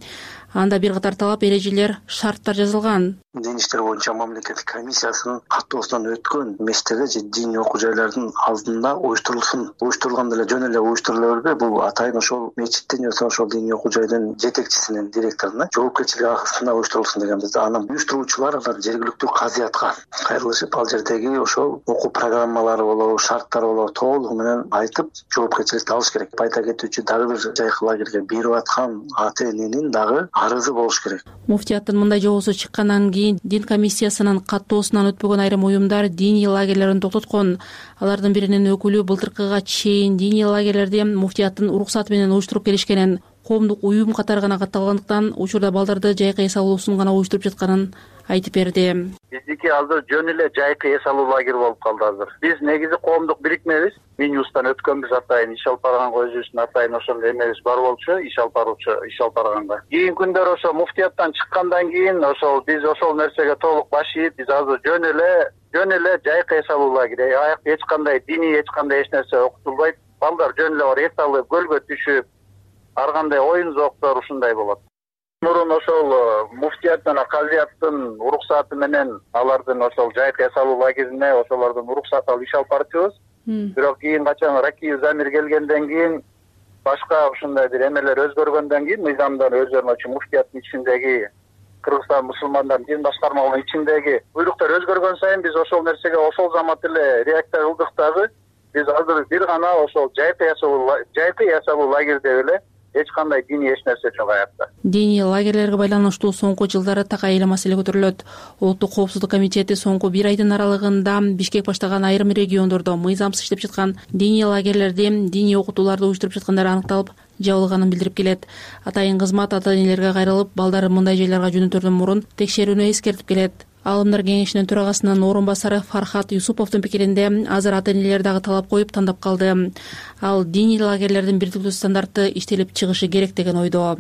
[SPEAKER 23] анда бир катар талап, эрежелер, шарттар жазылган.
[SPEAKER 25] Дин иштер боюнча мамлекеттик комиссиясынын каттоосунан өткөн меселеде же диний окуу жайлардын алдында уюштурулсын. Уюштурулган деле жөн эле уюштурула бербей, бул атайын ошол мечиттин же ошол диний окуу жайдын жетекчисинин, директоруна жоопкерчилик астында уюштурулсын дегенбиз. Анан уюштуруучулар алар жергиликтүү казыятка кайрылышып, ал жердеги ошол окуу программалары болобу, шарттары болобу толугу менен айтып, жоопкерчиликти алыш керек. Айта кетүүчү, дагы бир жайкы лагерге берип аткан ата-эненин дагы арызы болуш керек.
[SPEAKER 23] Муфтияттын мындай жобосу чыккандан кийин дин комиссиясынын каттоосунан өтпөгөн айрым уюмдар диний лагерлерин токтоткон. Алардын биринин өкүлү былтыркыга чейин диний лагерлерди муфтияттын уруксаты менен уюштуруп келишкенин, коомдук уюм катары гана катталгандыктан учурда балдарды жайкы эс алуусун гана уюштуруп жатканын айтып берди.
[SPEAKER 9] Биздики азыр жөн эле жайкы эс алуу лагери болуп калды азыр. Биз негизи коомдук бирикмебиз. Минюстан өткөнбүз атайын иш алып барганга өзүбүздүн атайын ошол эмебиз бар болчу, иш алып баруучу, иш алып барганга. Кийинки күндөр ошо муфтияттан чыккандан кийин ошол биз ошол нерсеге толук баш ийип, биз азыр жөн эле жөн эле жайкы эс алуу лагери. Аякта эч кандай диний, эч кандай эч нерсе окутулбайт. Балдар жөн эле бар эс алып, көлгө түшүп, ар кандай оюн зооктор ушундай болот. Мурун ошол муфтият жана казыяттын уруксаты менен алардын ошол жайкы эс алуу лагерине ошолордун уруксаты алып иш алып барчубыз. Бирок кийин качан Ракиев Замир келгенден кийин, башка ушундай бир эмелер өзгөргөндөн кийин, мыйзамдар өзгөрмөчү, муфтияттын ичиндеги Кыргызстан мусулмандар дин башкармалыгынын ичиндеги буйруктар өзгөргөн сайын биз ошол нерсеге ошол замат эле реакция кылдык дагы. Биз азыр бир гана ошол жайкы эс алуу жайкы эс алуу лагери деп эле эч кандай диний эч нерсе жок аякта.
[SPEAKER 23] Диний лагерлерге байланыштуу соңку жылдары так айыл маселе көтөрүлөт. Улуттук коопсуздук комитети соңку бир айдын аралыгында Бишкек баштаган айрым региондордо мыйзамсыз иштеп жаткан диний лагерлерди, диний окутууларды уюштуруп жаткандары аныкталып, жабылганын билдирип келет. Атайын кызмат ата-энелерге кайрылып, балдары мындай жайларга жөнөтөрдөн мурун текшерүүнү эскертип келет. Алымдар кеңешинин төрагасынын орун басары Фархат Юсуповдун пикиринде азыр ата-энелер дагы талап коюп тандап калды. Ал диний лагерлердин бирдиктүү стандарты иштелип чыгышы керек деген ойдо.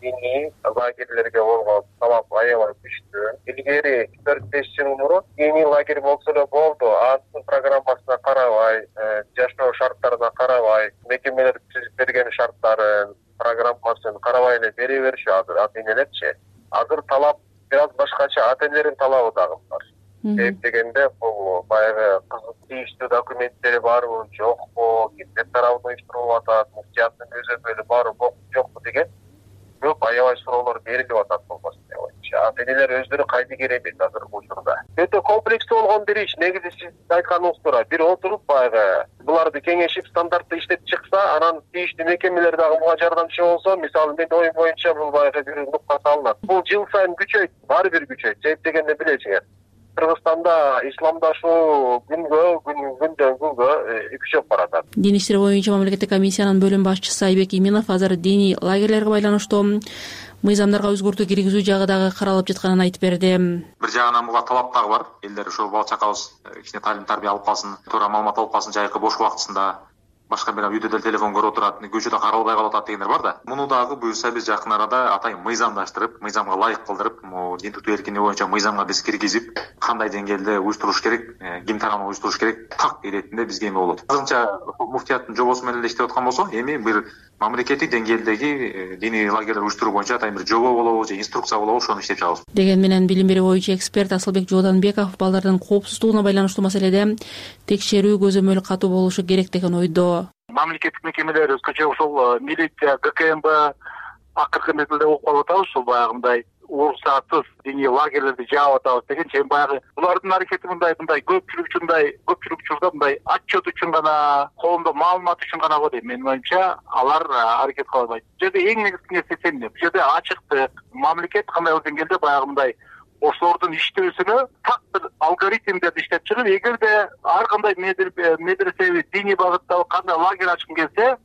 [SPEAKER 9] Диний лагерлерге болгон талап аябай күчтүү. Илгери төрт беш жыл мурун диний лагерь болсо эле болду, анын программасына карабай, жашоо шарттарына карабай, мекемелер түзүп берген шарттарын, программасын карабай эле бере бериши азыр ата-энелерчи. Азыр талап бир аз башкача, ата-энелердин талабы дагы бар. Себеп дегенде бул баягы кызык тийиштүү документтери барбы, жокпу, кимдер тарабынан уюштурулуп атат, муфтияттын көзөмөлү барбы, жокпу деген көп аябай суроолор берилип атат болбосун деп ойлойм. ата энелер өздөрү кайдыгер эмес азыркы учурда. Өтө комплекстүү болгон бир иш. Негизи сиз айтканыңыз туура. Бир отуруп баягы буларды кеңешип стандартты иштеп чыкса, анан тийиштүү мекемелер дагы буга жардамчы болсо, мисалы менин оюм боюнча бул баягы бир нукта салынат. Бул жыл сайын күчөйт, баары бир күчөйт. Себеп дегенде билесиңер. Кыргызстанда исламдашуу күнгө күн күндөн күнгө күчөп баратат.
[SPEAKER 23] Дин иштери боюнча мамлекеттик комиссиянын бөлүм башчысы Айбек Именов азыр диний лагерлерге байланыштуу мыйзамдарга өзгөртүү киргизүү жагы дагы каралып жатканын айтып берди.
[SPEAKER 3] Бир жагынан буга талап дагы бар. Элдер ошо бала чакабыз кичине таалим тарбия алып калсын, туура маалымат алып калсын жайкы бош убактысында. Башка бир үйдө деле телефон көрүп отурат, көчөдө каралбай калып атат дегендер бар да. Муну дагы буюрса биз жакын арада атайын мыйзамдаштырып, мыйзамга ылайык кылдырып, могу дин тутуу эркиндиги боюнча мыйзамга биз киргизип, кандай деңгээлде уюштуруш керек, ким тарабынан уюштуруш керек, так иретинде бизге эме болот. Азырынча муфтияттын жобосу менен эле иштеп аткан болсо, эми бир мамлекеттик деңгээлдеги диний лагерлер уюштуруу боюнча атайын бир жобо болобу же инструкция болобу, ошону иштеп чыгабыз.
[SPEAKER 23] Деген менен билим берүү боюнча эксперт Асылбек Жооданбеков балдардын коопсуздугуна байланыштуу маселеде текшерүү көзөмөл катуу болушу керек деген ойдо.
[SPEAKER 4] Мамлекеттик мекемелер өзгөчө ушул милиция, ГКМБ акыркы мезгилде угуп калып атабыз, ушул баягындай уруксатсыз диний лагерлерди жаап атабыз дегенче, эми баягы булардын аракети мындай мындай көпчүлүк үчүндай көпчүлүк учурда мындай отчет үчүн гана, коомдо маалымат үчүн гана го дейм. Менин оюмча алар аракет кыла албайт. Бул жерде эң негизги нерсе эмне? Бул жерде ачыктык, мамлекет кандайдыр деңгээлде баягы мындай ошолордун иштөөсүнө так бир алгоритмдерди иштеп чыгып, эгерде ар кандай медресеби диний багыттагы кандай лагерь ачкым келсе,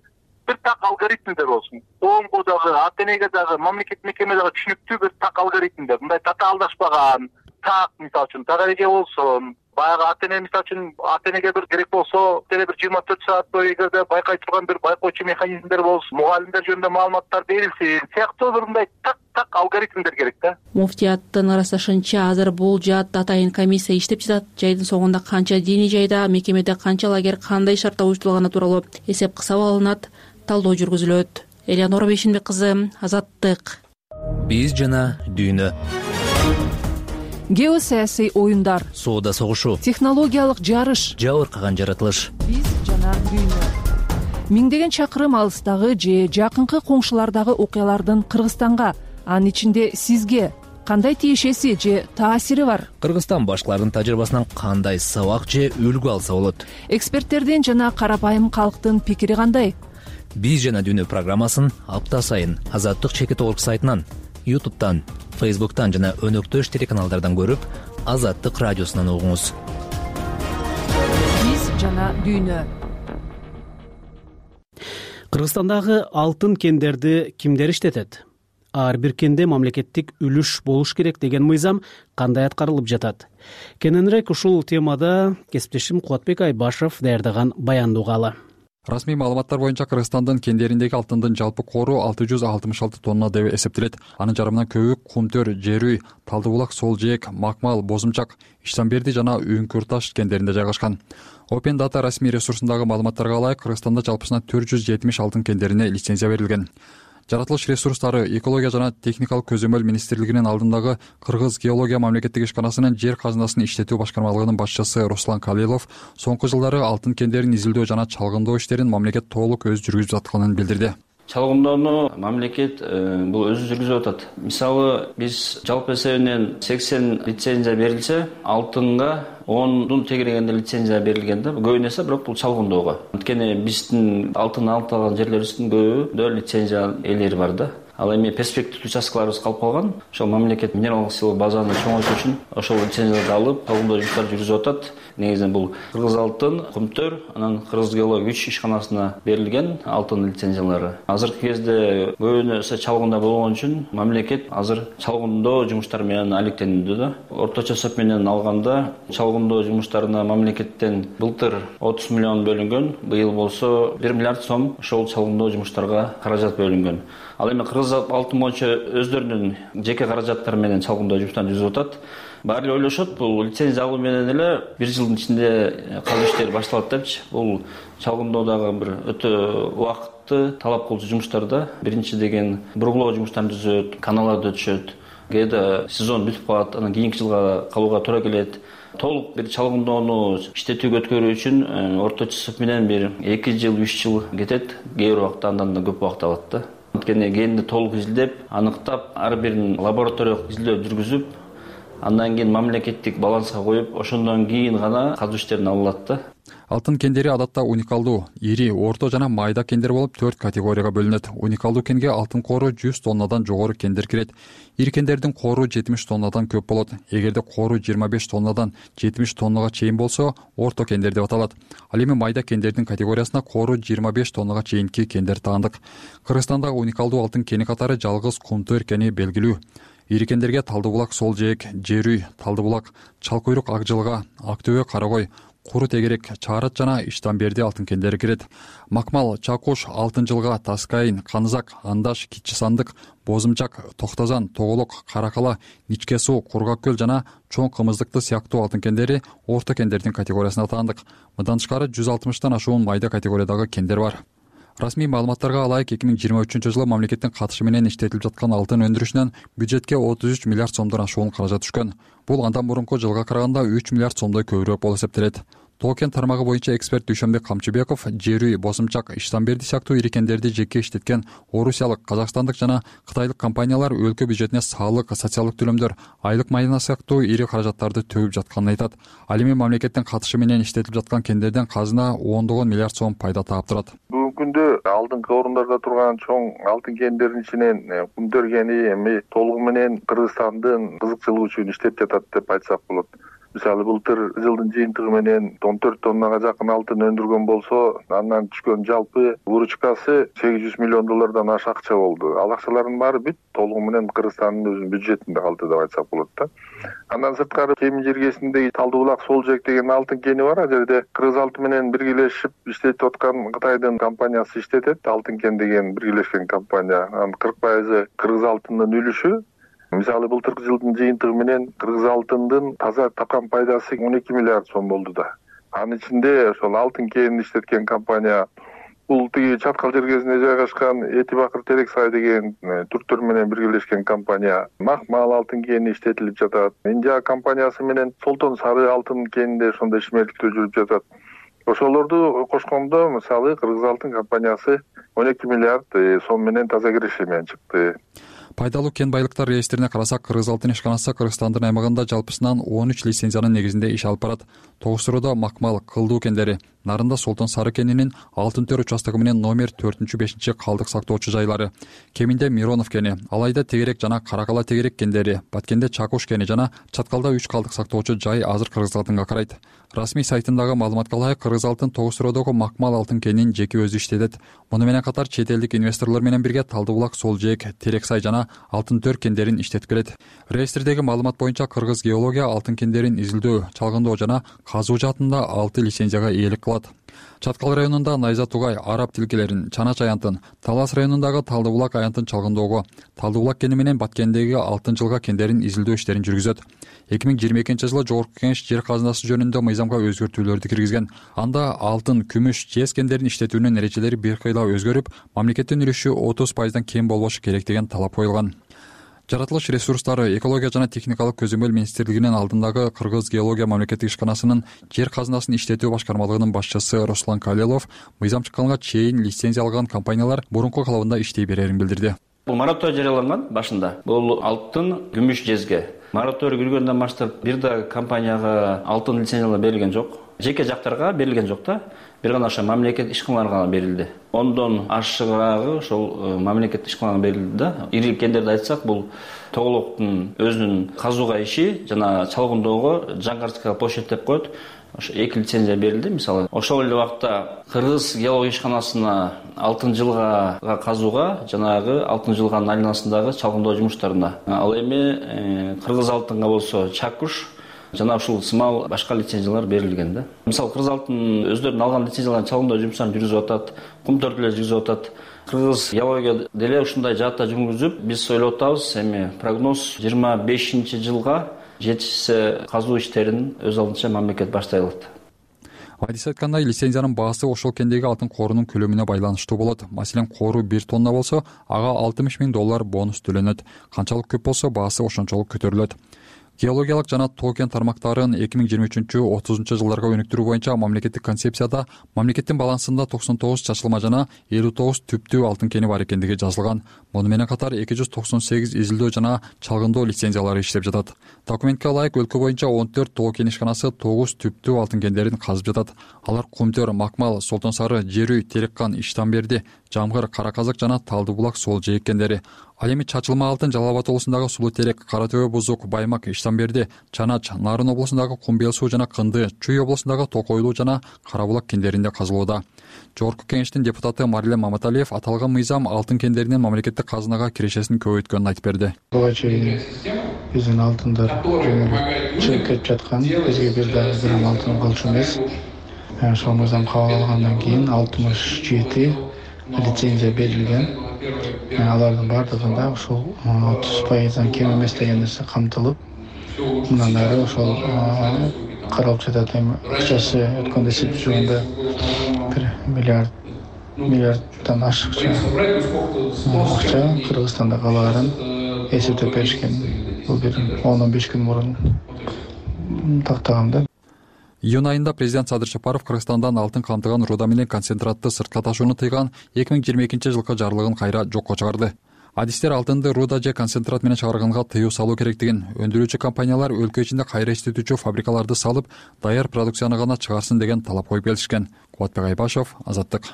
[SPEAKER 4] бир так алгоритмдер болсун. Коомго дагы, ата энеге дагы, мамлекеттик мекеме дагы түшүнүктүү бир так алгоритмдер. Мындай татаалдашпаган, так мисалы үчүн так эреже болсун. Баягы ата эне мисалы үчүн ата энеге бир керек болсо, деле бир жыйырма төрт саат бою эгерде байкай турган бир байкоочу механизмдер болсун, мугалимдер жөнүндө маалыматтар берилсин, сыяктуу бир мындай так так алгоритмдер керек да.
[SPEAKER 23] Муфтияттын ырасташынча азыр бул жаат атайын комиссия иштеп жатат. Жайдын соңунда канча диний жайда, мекемеде канча лагерь кандай шартта уюштурулганы тууралуу эсеп кысап алынат, талдоо жүргүзүлөт. Элеонора Бейшенбек кызы, Азаттык.
[SPEAKER 17] Биз жана дүйнө.
[SPEAKER 1] Геосаясий оюндар,
[SPEAKER 17] соода согушу,
[SPEAKER 1] технологиялык жарыш,
[SPEAKER 17] жабыркаган жаратылыш.
[SPEAKER 1] Биз жана дүйнө. Миңдеген чакырым алыстагы же жакынкы коңшулардагы окуялардын Кыргызстанга, анын ичинде сизге кандай тиешеси же таасири бар?
[SPEAKER 17] Кыргызстан башкаларынын тажрыйбасынан кандай сабак же үлгү алса болот?
[SPEAKER 1] Эксперттердин жана карапайым калктын пикири кандай?
[SPEAKER 17] Биз жана дүйнө программасын апта сайын Азаттык чекит орг сайтынан, ютубтан, фейсбуктан жана өнөктөш телеканалдардан көрүп, Азаттык радиосунан угуңуз.
[SPEAKER 1] Биз жана дүйнө.
[SPEAKER 2] Кыргызстандагы алтын кендерди кимдер иштетет? Ар бир кенде мамлекеттик үлүш болуш керек деген мыйзам кандай аткарылып жатат? Кененирээк ушул темада кесиптешим Кубатбек Айбашев даярдаган баянды угалы.
[SPEAKER 6] Расмий маалыматтар боюнча Кыргызстандын кендериндеги алтындын жалпы кору алты жүз алтымыш алты тонна деп эсептелет. Анын жарымынан көбү Кумтөр, Жерүй, Талды булак, Сол жээк, Макмал, Бозумчак, Иштанберди жана Үңкүр таш кендеринде жайгашкан. Open Data расмий ресурсундагы маалыматтарга ылайык Кыргызстанда жалпысынан төрт жүз жетимиш алтын кендерине лицензия берилген. Жаратылыш ресурстары экология жана техникалык көзөмөл министрлигинин алдындагы Кыргыз геология мамлекеттик ишканасынын жер казынасын иштетүү башкармалыгынын башчысы Руслан Калилов соңку жылдары алтын кендерин изилдөө жана чалгындоо иштерин мамлекет толук өзү жүргүзүп атканын билдирди.
[SPEAKER 7] Чалгындоону мамлекет бул өзү жүргүзүп атат. Мисалы, биз жалпы эсебинен сексен лицензия берилсе, алтынга ондун тегерегенде лицензия берилген да. Көбүнө эсе бирок бул чалгындоого. Анткени биздин алтын алып алган жерлерибиздин көбүндө лицензия ээлери бар да. Ал эми перспективдүү участкаларыбыз калып калган. Ошол мамлекет минералдык сыйлык базаны чоңойтуу үчүн ошол лицензияларды алып, чалгындоо жумуштарын жүргүзүп атат. Негизинен бул Кыргыз алтын, Кумтөр, анан Кыргыз геология үч ишканасына берилген алтын лицензиялары. Азыркы кезде көбүнө эсе чалгындоо болгон үчүн мамлекет азыр чалгындоо жумуштары менен алектенүүдө да. Орточо эсеп менен алганда чалгындоо жумуштарына мамлекеттен былтыр отуз миллион бөлүнгөн, быйыл болсо бир миллиард сом ошол чалгындоо жумуштарга каражат бөлүнгөн. Ал эми Кыргыз алтын боюнча өздөрүнүн жеке каражаттары менен чалгындоо жумуштарын жүргүзүп атат. Баары эле ойлошот, бул лицензия алуу менен эле бир жылдын ичинде казуу иштери башталат депчи. Бул чалгындоодагы бир өтө убакытты талап кылуучу жумуштар да. Биринчи деген бургулоо жумуштарын түзөт, каналарды өтүшөт. Кээде сезон бүтүп калат, анан кийинки жылга калууга туура келет. Толук бир чалгындоону иштетүүгө өткөрүү үчүн орточо эсеп менен бир эки жыл, үч жыл кетет. Кээ бир убакта андан да көп убакыт алат да. анткени кенди толук изилдеп аныктап ар бирин лабораториялык изилдөө жүргүзүп андан кийин мамлекеттик баланска коюп ошондон кийин гана казуу иштерин алынат да.
[SPEAKER 6] Алтын кендери адатта уникалдуу, ири, орто жана майда кендер болуп төрт категорияга бөлүнөт. Уникалдуу кенге алтын кору жүз тоннадан жогору кендер кирет. Ири кендердин кору жетимиш тоннадан көп болот. Эгерде кору жыйырма беш тоннадан жетимиш тоннага чейин болсо, орто кендер деп аталат. Ал эми майда кендердин категориясына кору жыйырма беш тоннага чейинки кендер таандык. Кыргызстандагы уникалдуу алтын кени катары жалгыз Кумтөр кени белгилүү. Ири кендерге Талды булак Сол жээк, Жерүй, Талды булак, Чал куйрук Ак жылга, Ак төбө Карагой, Куру тегерек, Чаарат жана Иштанберди алтын кендери кирет. Макмал, Чакуш, Алтын жылга, Таскайын, Канызак, Андаш, Кичи Сандык, Бозумчак, Токтозан, Тоголок, Каракала, Ничке суу, Кургак көл жана чоң кымыздыкты сыяктуу алтын кендери орто кендердин категориясына таандык. Мындан тышкары жүз алтымыштан ашуун майда категориядагы кендер бар. Расмий маалыматтарга алайык эки миң жыйырма үчүнчү жылы мамлекеттин катышы менен иштетилип жаткан алтын өндүрүшүнөн бюджетке отуз үч миллиард сомдон ашуун каражат түшкөн. Бул андан мурунку жылга караганда үч миллиард сомдой көбүрөөк болуп эсептелет. Тоо кен тармагы боюнча эксперт Дүйшөнбек Камчыбеков Жерүй, Босумчак, Иштанберди сыяктуу ири кендерди жеке иштеткен орусиялык, казакстандык жана кытайлык компаниялар өлкө бюджетине салык, социалдык төлөмдөр, айлык майна сыяктуу ири каражаттарды төгүп жатканын айтат. Ал эми мамлекеттин катышы менен иштетилип жаткан кендерден казына ондогон миллиард сом пайда таап турат.
[SPEAKER 12] Бүгүнкү күндө алдыңкы орундарда турган чоң алтын кендердин ичинен Кумтөр кени эми толугу менен Кыргызстандын кызыкчылыгы үчүн иштеп жатат деп айтсак болот. Мисалы былтыр жылдын жыйынтыгы менен он төрт тоннага жакын алтын өндүргөн болсо, андан түшкөн жалпы выручкасы сегиз жүз миллион доллардан ашык акча болду. Ал акчалардын баары бүт толугу менен Кыргызстандын өзүнүн бюджетинде калды деп айтсак болот да. Андан сырткары Кемин жергесиндеги Талды булак Сол жээк деген алтын кени бар. Ал жерде Кыргыз алтын менен биргелешип иштетип аткан Кытайдын компаниясы иштетет. Алтын кен деген биргелешкен компания. Анын кырк пайызы Кыргыз алтынынын үлүшү. Мисалы былтыркы жылдын жыйынтыгы менен Кыргыз алтындын таза тапкан пайдасы он эки миллиард сом болду да. Анын ичинде ошол алтын кенин иштеткен компания бул тиги Чаткал жергесинде жайгашкан Эти Бакыр Терексай деген түрктөр менен биргелешкен компания. Макмал алтын кени иштетилип жатат. Индия компаниясы менен Солтон Сары алтын кенинде ошондой ишмердиктөө жүрүп жатат. Ошолорду кошкондо мисалы Кыргыз алтын компаниясы он эки миллиард сом менен таза киреше менен чыкты.
[SPEAKER 6] Пайдалуу кен байлыктар реестрине карасак, Кыргыз алтын ишканасы Кыргызстандын аймагында жалпысынан он үч лицензиянын негизинде иш алып барат. Тогуз-Суруда Макмал, Кылдуу кендери, Нарында Солтон Сары кенинин Алтын төр участогу менен номер төртүнчү бешинчи калдык сактоочу жайлары, Кеминде Миронов кени, Алайда Тегерек жана Каракала Тегерек кендери, Баткенде Чакуш кени жана Чаткалда үч калдык сактоочу жай азыр Кыргыз алтынга карайт. Расмий сайтындагы маалыматка ылайык, Кыргыз алтын Тогуз-Сурудагы Макмал алтын кенин жеке өзү иштетет. Муну менен катар чет элдик инвесторлор менен бирге Талды булак Сол жээк, Терексай жана Алтын төр кендерин иштетип келет. Реестрдеги маалымат боюнча Кыргыз геология алтын кендерин изилдөө, чалгындоо жана казуу жаатында алты лицензияга ээлик кылат. Чаткал районунда Найза Тугай, Араб тилкелерин, Чанач аянтын, Талас районундагы Талды булак аянтын чалгындоого, Талды булак кени менен Баткендеги Алтын жылга кендерин изилдөө иштерин жүргүзөт. эки миң жыйырма экинчи жылы Жогорку Кеңеш жер казынасы жөнүндө мыйзамга өзгөртүүлөрдү киргизген. Анда алтын, күмүш, жез кендерин иштетүүнүн эрежелери бир кыйла өзгөрүп, мамлекеттин үлүшү отуз пайыздан кем болбошу керек деген талап коюлган. Жаратылыш ресурстары, экология жана техникалык көзөмөл министрлигинин алдындагы Кыргыз геология мамлекеттик ишканасынын жер казынасынын иштетүү башкармалыгынын башчысы Руслан Калелов мыйзам чыкканга чейин лицензия алган компаниялар мурунку калыбында иштей берерин билдирди.
[SPEAKER 7] Бул мораторий жарыяланган башында. Бул алтын, күмүш, жезге. Мораторий киргөндөн баштап бир да компанияга алтын лицензиялар берилген жок. Жеке жактарга берилген жок да. Бир гана ошо мамлекет ишканаларга берилди. Ондон ашыгыраагы ошол мамлекет ишканаларга берилди да. Ири кендерди айтсак, бул Тоголоктун өзүнүн казууга иши жана чалгындоого Жаңгарская площадь деп коет. Ошо эки лицензия берилди. Мисалы, ошол эле убакта Кыргыз геология ишканасына Алтын жылга казууга жанагы Алтын жылганын айланасындагы чалгындоо жумуштарына. Ал эми Кыргыз алтынга болсо Чакуш жана ушул сымал башка лицензиялар берилген да. Мисалы, Кыргыз алтын өздөрүнүн алган лицензияларын чалгындоо жумуштарын жүргүзүп атат, Кумтөр деле жүргүзүп атат. Кыргыз геология деле ушундай жаатта жүргүзүп, биз ойлоп атабыз, эми прогноз жыйырма бешинчи жылга жетишсе казуу иштерин өз алдынча мамлекет баштай алат.
[SPEAKER 6] Адис айткандай, лицензиянын баасы ошол кендеги алтын корунун көлөмүнө байланыштуу болот. Маселен, кору бир тонна болсо, ага алтымыш миң доллар бонус төлөнөт. Канчалык көп болсо, баасы ошончолук көтөрүлөт. геологиялык жана тоо кен тармактарын эки миң жыйырма үчүнчү отузунчу жылдарга өнүктүрүү боюнча мамлекеттик концепцияда мамлекеттин балансында токсон тогуз чачылма жана элүү тогуз түптүү алтын кени бар экендиги жазылган. Муну менен катар эки жүз токсон сегиз изилдөө жана чалгындоо лицензиялары иштеп жатат. Документке ылайык өлкө боюнча он төрт тоо кен ишканасы тогуз түптүү алтын кендерин казып жатат. Алар Кумтөр, Макмал, Солтон Сары, Жерүй, Тереккан, Иштанберди, Жамгыр, Кара Казык жана Талды булак сол жээк кендери. Ал эми чачылма алтын Жалал Абад облусундагы Сулуу Терек, Кара Төбө, Бузук, Баймак, Иштанберди, Чанач, Нарын облусундагы Кумбел суу жана Кынды, Чүй облусундагы Токойлуу жана Кара булак кендеринде казылууда. Жогорку Кеңештин депутаты Марилем Маматалиев аталган мыйзам алтын кендеринин мамлекеттик казынага кирешесин көбөйткөнүн айтып берди.
[SPEAKER 8] Буга чейин биздин алтындар чыгып кетип жаткан, бизге бир дагы грамм алтын болчу эмес. Ошол мыйзам кабыл алгандан кийин алтымыш жети лицензия берилген. Алардын бардыгында ушул отуз пайыздан кем эмес деген нерсе камтылып, мындан ары ошол каралып жатат. Эми акчасы өткөндө эсептеп жүргөндө бир миллиард миллиарддан ашыкча акча Кыргызстанда калаарын эсептеп беришкен. Бул бир он он беш күн мурун тактагам да.
[SPEAKER 6] Июнь айында президент Садыр Жапаров Кыргызстандан алтын камтыган руда менен концентратты сыртка ташууну тыйган эки миң жыйырма экинчи жылкы жарлыгын кайра жокко чыгарды. Адистер алтынды руда же концентрат менен чыгарганга тыюу салуу керектигин, өндүрүүчү компаниялар өлкө ичинде кайра иштетүүчү фабрикаларды салып, даяр продукцияны гана чыгарсын деген талап коюп келишкен. Кубатбек Айбашев, Азаттык.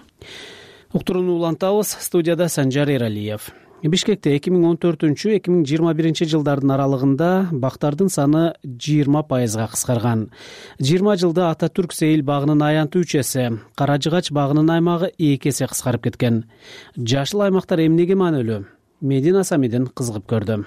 [SPEAKER 2] Уктурууну улантабыз. Студияда Санжар Эралиев. Бишкекте эки миң он төртүнчү эки миң жыйырма биринчи жылдардын аралыгында бактардын саны жыйырма пайызга кыскарган. жыйырма жылда Ата Түрк Сейил багынын аянты үч эсе, Кара Жыгач багынын аймагы эки эсе кыскарып кеткен. Жашыл аймактар эмнеге маанилүү? Медина Самидин кызыгып көрдү.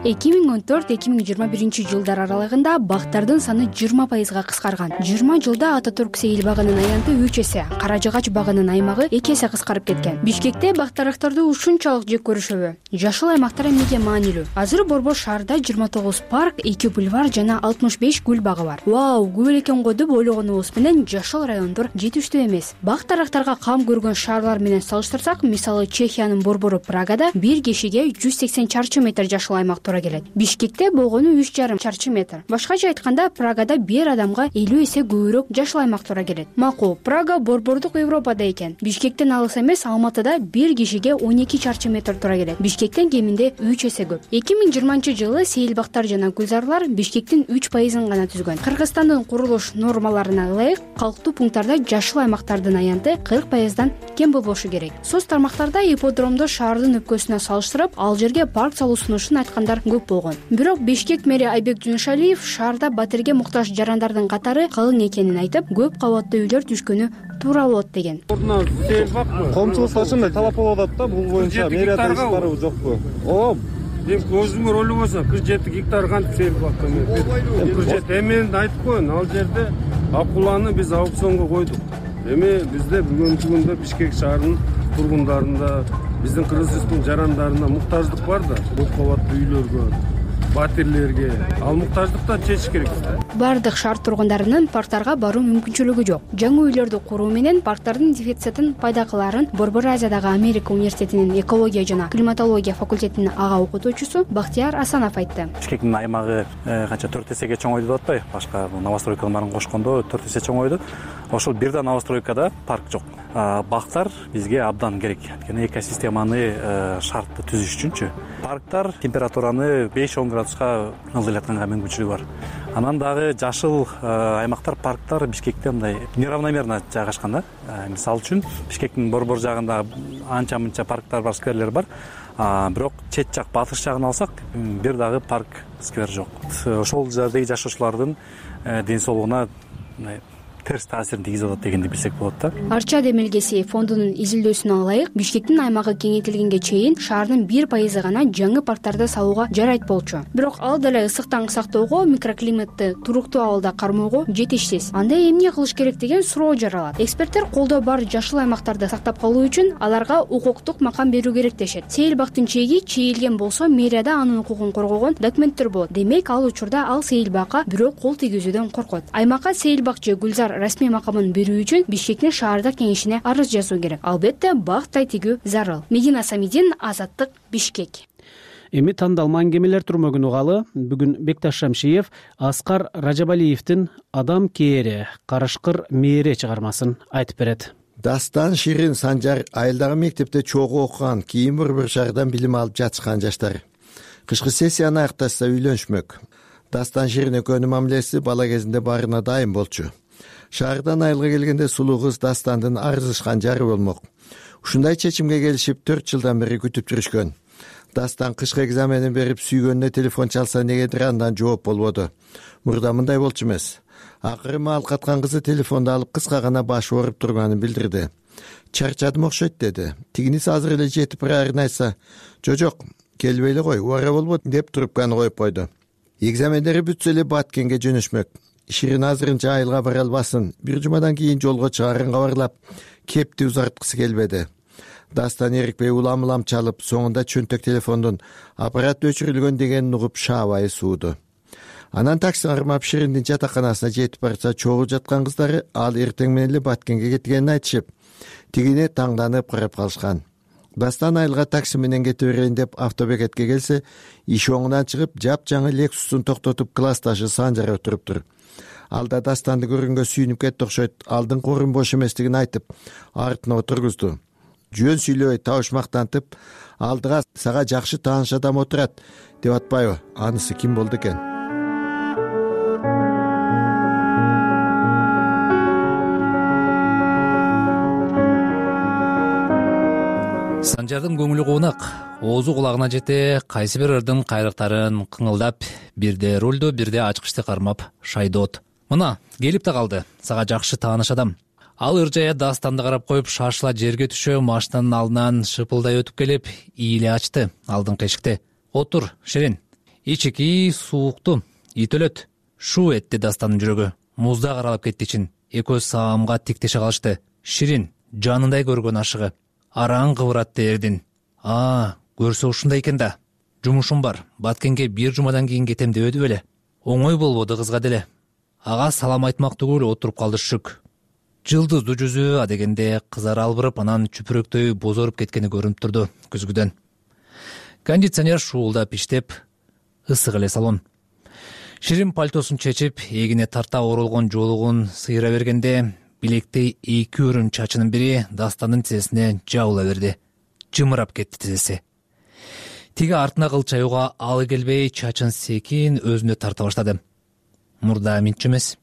[SPEAKER 13] эки миң он төрт эки миң жыйырма биринчи жылдар аралыгында бактардын саны жыйырма пайызга кыскарган. жыйырма жылда Ата Түрк Сейил багынын аянты үч эсе, Кара Жыгач багынын аймагы эки эсе кыскарып кеткен. Бишкекте бактарактарды ушунчалык жек көрүшөбү? Жашыл аймактар эмнеге маанилүү? Азыр Борбор шаарда жыйырма тогуз парк, эки бульвар жана алтымыш беш гүл багы бар. Вау, көп экен го деп ойлогонубуз менен жашыл райондор жетиштүү эмес. Бактарактарга кам көргөн шаарлар менен салыштырсак, мисалы Чехиянын борбору Прагада бир кишиге жүз сексен чарчы метр жашыл аймак туура келет. Бишкекте болгону үч жарым чарчы метр. Башкача айтканда, Прагада бир адамга элүү эсе көбүрөөк жашыл аймак туура келет. Макул, Прага борбордук Европада экен. Бишкектен алыс эмес, Алматыда бир кишиге он эки чарчы метр туура келет. Бишкектен кеминде үч эсе көп. эки миң жыйырманчы жылы сейилбактар жана гүлзарлар Бишкектин үч пайызын гана түзгөн. Кыргызстандын курулуш нормаларына ылайык калктуу пункттарда жашыл аймактардын аянты кырк пайыздан кем болбошу керек. Соц тармактарда ипподромду шаардын өпкөсүнө салыштырып, ал жерге парк салуу сунушун айткандар көп болгон. Бирок Бишкек мэри Айбек Жунушалиев шаарда батирге муктаж жарандардын катары калың экенин айтып, көп кабаттуу үйлөр түшкөнү туура болот деген.
[SPEAKER 14] Ордуна сейилбак коомчулукка ушундай талап болуп атат да, бул боюнча мэрия иш барабы жокпу? Ооп. Эми көзүмөр ойлоп болсо кырк жети гектар кантип сейилбакка эми кырк жети. Эми мен айтып коеюн, ал жерде акуланы биз аукционго койдук. Эми бизде бүгүнкү күндө Бишкек шаарынын тургундарында, биздин кыргыз жарандарына муктаждык бар да, көп кабаттуу үйлөргө, батирлерге. Ал муктаждыкты чечиш керек.
[SPEAKER 13] Бардык шаар тургундарынын парктарга баруу мүмкүнчүлүгү жок. Жаңы үйлөрдү куруу менен парктардын дефицитин пайда кылаарын Борбор Азиядагы Америка университетинин экология жана климатология факультетинин ага окутуучусу Бактияр Асанов айтты.
[SPEAKER 15] Бишкектин аймагы канча төрт эсеге чоңойду деп атпайбы? Башка новостройкалар барын кошкондо төрт эсе чоңойду. Ошол бир да новостройкада парк жок. Бактар бизге абдан керек. Анткени экосистеманы шартты түзүш үчүнчү. Парктар температураны беш он градуска ылдыратканга мүмкүнчүлүгү бар. Анан дагы жашыл аймактар, парктар Бишкекте мындай неравномерно жайгашкан да. Мисалы үчүн Бишкектин борбор жагында анча-мынча парктар бар, скверлер бар. Бирок чет жак, батыш жагын алсак, бир дагы парк, сквер жок. Ошол жердеги жашоочулардын ден соолугуна терс таасирин тийгизип атат дегенди билсек болот да.
[SPEAKER 13] Арча демилгеси фондунун изилдөөсүнө ылайык, Бишкектин аймагы кеңейтилгенге чейин шаардын бир пайызы гана жаңы парктарды салууга жарайт болчу. Бирок ал деле ысыктан сактоого, микроклиматты туруктуу абалда кармоого жетишсиз. Анда эмне кылыш керек деген суроо жаралат. Эксперттер колдоо бар жашыл аймактарды сактап калуу үчүн аларга укуктук макам берүү керек дешет. Сейилбактын чеги чийилген болсо, мэрияда анын укугун коргогон документтер болот. Демек, ал учурда ал сейилбакка бирөө кол тийгизүүдөн коркот. Аймакка сейилбак же гүлзар расмий макамын берүү үчүн Бишкектин шаардык кеңешине арыз жазуу керек. Албетте, бак тайтигүү зарыл. Медина Самидин, Азаттык, Бишкек.
[SPEAKER 2] Эми тандалма аңгемелер турмөгүн угалы. Бүгүн Бекташ Шамшиев Аскар Ражабалиевдин «Адам кээри, карышкыр мээри» чыгармасын айтып берет.
[SPEAKER 5] Дастан, Ширин, Санжар айылдагы мектепте чогуу окуган, кийин бір-бір шаардан билим алып жатышкан жаштар. Кышкы сессияны аякташса үйлөнүшмөк. Дастан Ширин экөөнүн мамилеси бала кезинде баарына дайым болчу. Шаардан айылга келгенде сулуу кыз Дастандын арзышкан жары болмок. Ушундай чечимге келишип төрт жылдан бери күтүп жүрүшкөн. Дастан кышкы экзаменин берип сүйгөнүнө телефон чалса негедир андан жооп болбоду. Мурда мындай болчу эмес. Акыры маал каткан кызы телефонду алып кыска гана баш ооруп турганын билдирди. Чарчадым окшойт деди. Тигиниси азыр эле жетип баарын айтса, жок, келбей эле кой, убара болбойт деп трубканы коюп койду. Экзамендери бүтсө эле Баткенге жөнөшмөк. Ширин азырынча айылга бара албасын. Бир жумадан кийин жолго чыгарын кабарлап, кепти узарткысы келбеди. Дастан эрикпей улам-улам чалып, соңунда чөнтөк телефондун аппарат өчүрүлгөн дегенин угуп шаабайы сууду. Анан такси кармап Шириндин жатаканасына жетип барса, чогуу жаткан кыздары ал эртең менен эле Баткенге кеткенин айтышып, тигине таңданып карап калышкан. Дастан айылга такси менен кете берейин деп автобекетке келсе, иш оңунан чыгып, жапжаңы Лексустун токтотуп классташы Санжар отуруптур. Алда Дастанды көргөнгө сүйүнүп кетти окшойт. Алдыңкы орун бош эместигин айтып, артына отургузду. Жөн сүйлөбөй табышмактантып, алдыга сага жакшы тааныш адам отурат деп атпайбы? Анысы ким болду экен?
[SPEAKER 17] Санжардын көңүлү куунак, оозу кулагына жете, кайсы бир ырдын кайрыктарын кыңылдап, бирде рулду, бирде ачкычты кармап шайдоот. Мына, келип да калды, сага жакшы тааныш адам. Ал ыржая Дастанды карап коюп, шашыла жерге түшө, машинанын алдынан шыпылдай өтүп келип, ийле ачты алдыңкы эшикте. Отур, Ширин. Ичики суукту, ит өлөт. Шу этти Дастанын жүрөгү. Музда каралап кетти ичин. Экөө саамга тиктеше калышты. Ширин, жанындай көргөн ашыгы. Араң кыбыратты Эрдин. А, көрсө ушундай экен да. Жумушум бар. Баткенге бир жумадан кийин кетем дебеди беле. Оңой болбоду кызга деле. Ага салам айтмак түгүл отуруп калды шүк. Жылдыздуу жүзү адегенде кызары албырып, анан чүпүрөктөй бозоруп кеткени көрүнүп турду көзгүдөн. Кондиционер шуулдап иштеп, ысык эле салон. Ширин пальтосун чечип, эгине тарта оролгон жолугун сыйра бергенде, билектей эки өрүм чачынын бири Дастанын тизесине жабыла берди. Жымырап кетти тизеси. Тиги артына кылчаюуга алы келбей, чачын секин өзүнө тарта баштады. Мурда минчи эмес.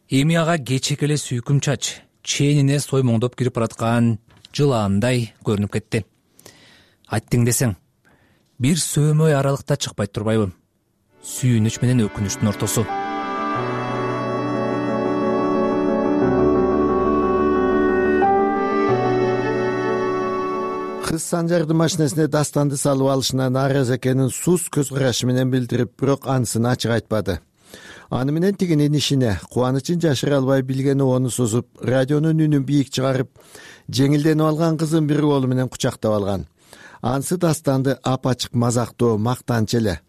[SPEAKER 17] Эми ага кечек эле сүйкүм чач, ченине соймоңдоп кирип бараткан жылаандай көрүнүп кетти. Айттың десең, бир сөөмөй аралыкта чыкпай турбайбы? Сүйүнүч менен өкүнүчтүн ортосу.
[SPEAKER 5] Кыз Санжардын машинесине Дастанды салып алышына нааразы экенин сус көз карашы менен билдирип, бирок анысын ачык айтпады. Аны менен тигинин ишине кубанычын жашыра албай билгени ону созуп, радионун үнүн бийик чыгарып, жеңилденип алган кызын бир колу менен кучактап алган. Анысы Дастанды ап-ачык мазактоо, мактанчы эле.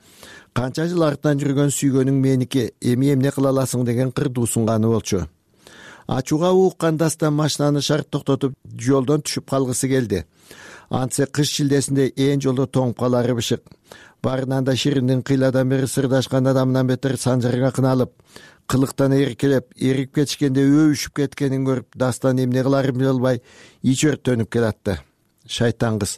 [SPEAKER 5] Канча жыл артынан жүргөн сүйгөнүң меники, эми эмне кыла аласың деген кырдуу сунганы болчу. Ачууга ууккан Дастан машинаны шарт токтотуп, жолдон түшүп калгысы келди. Антсе кыш шилдесинде ээн жолдо тоңуп калары бышык. Барынан да Шириндин кыйладан бери сырдашкан адамынан бетер Санжарга кыналып, кылыктан эркелеп, эрип кетишкенде өбүшүп кеткенин көрүп, Дастан эмне кыларын биле албай ич өрттөнүп келатты. Шайтан кыз.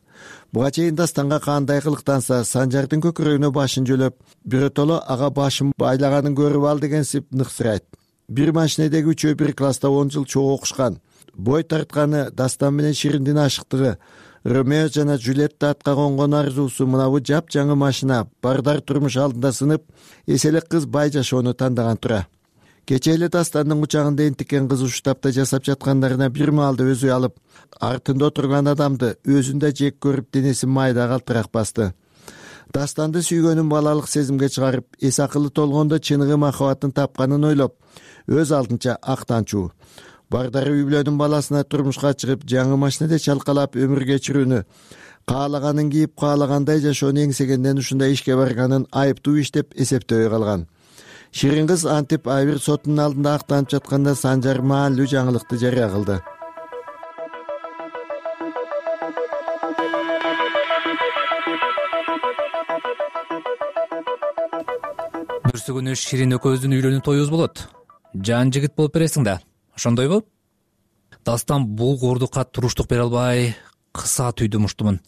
[SPEAKER 5] Буга чейин Дастанга кандай кылыктанса, Санжардын көкүрөгүнө башын жөлөп, биротоло ага башын байлаганын көрүп ал дегенсип ныксырайт. Бир машинедеги үчөө бир класста он жыл чогуу окушкан. Бой тартканы Дастан менен Шириндин ашыктыгы, Ромео жана Джульетта атка конгон арзуусу мынабу жапжаңы машина бардар турмуш алдында сынып, эселек кыз бай жашоону тандаган тура. Кечээ эле Дастандын кучагында энтикен кыз уштапта жасап жаткандарына бир маалда өзү алып, артында отурган адамды өзүн да жек көрүп, денесин майда калтырак басты. Дастанды сүйгөнүн балалык сезимге чыгарып, эс акылы толгондо чыныгы махабатын тапканын ойлоп, өз алдынча актанчуу. Бардары үй-бүлөнүн баласына турмушка чыгып, жаңы машинеде чалкалап өмүр кечирүүнү, каалаганын кийип, каалагандай жашоону эңсегенден ушундай ишке барганын айыптуу иш деп эсептөбөй калган. Ширин кыз антип Айбир сотунун алдында актанып жатканда Санжар маанилүү жаңылыкты жарыя кылды.
[SPEAKER 17] келесі күнү Ширин экөөбүздүн үйлөнүү тоюбуз болот. Жан жигит болуп бересиң да, ошондойбу? Дастан бул кордукка туруштук бере албай кыса түйдү муштумун.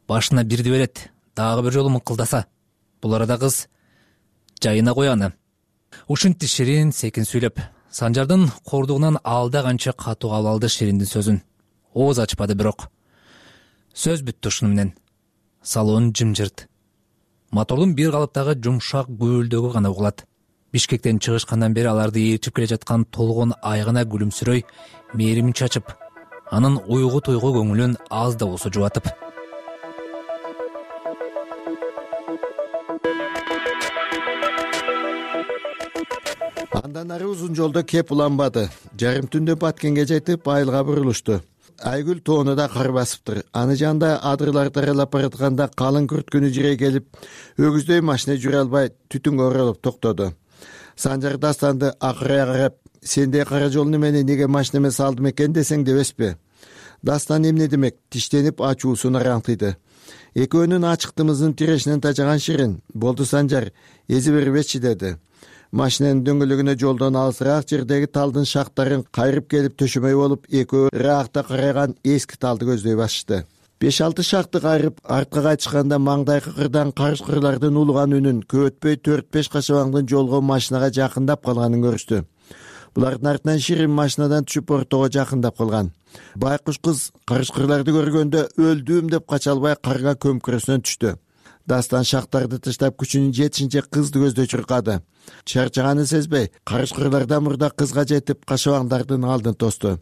[SPEAKER 17] Башына бирди берет, дагы бир жолу мыңкылдаса. Бул арада кыз жайына кояны. Ушинтти Ширин секин сүйлөп. Санжардын кордугунан алда канча катуу кабыл алды Шириндин сөзүн. Ооз ачпады бирок. Сөз бүттү ушуну менен. Салон жымжырт. Мотордун бир калыптагы жумшак гүөлдөгү гана угулат. Бишкектен чыгышкандан бери аларды ээрчип келе жаткан толгон айгына күлүмсүрөй, мээримин чачып, анын уйгу туйгу көңүлүн аз да болсо жубатып.
[SPEAKER 5] Андан ары узун жолдо кеп уланбады. Жарым түндө Баткенге жетип айылга бурулушту. Айгүл тоону да кар басыптыр. Аны жанда адырларды аралап баратканда калың күрт күнү жирей келип, өгүздөй машина жүрө албай түтүнгө оролуп токтоду. Санжар Дастанды акырая карап, сендей кара жолуну мени неге машинеме салдым экен десең дебеспи? Дастан эмне демек, тиштенип ачуусун араңтыйды. Экөөнүн ачыктымызын тирешинен тажаган Ширин, болду Санжар, эзи бербечи деди. Машинанын дөңгөлөгүнө жолдон алысыраак жердеги талдын шактарын кайрып келип төшөмөй болуп, экөө ыраакта караган эски талды көздөй башышты. беш алты шакты кайрып артка кайтышканда маңдайкы кырдан карыш-кырлардын улуган үнүн, көп өтпөй төрт беш кашабаңдын жолго машинага жакындап калганын көрүштү. Булардын артынан Ширин машинадан түшүп ортого жакындап калган. Байкуш кыз карыш-кырларды көргөндө өлдүм деп кача албай карга көмкөрөсүнөн түштү. Дастан шактарды таштап күчүнүн жетишинче кызды көздөй чуркады. Чарчаганын сезбей, карыш-кырлардан мурда кызга жетип кашабаңдардын алдын тосту.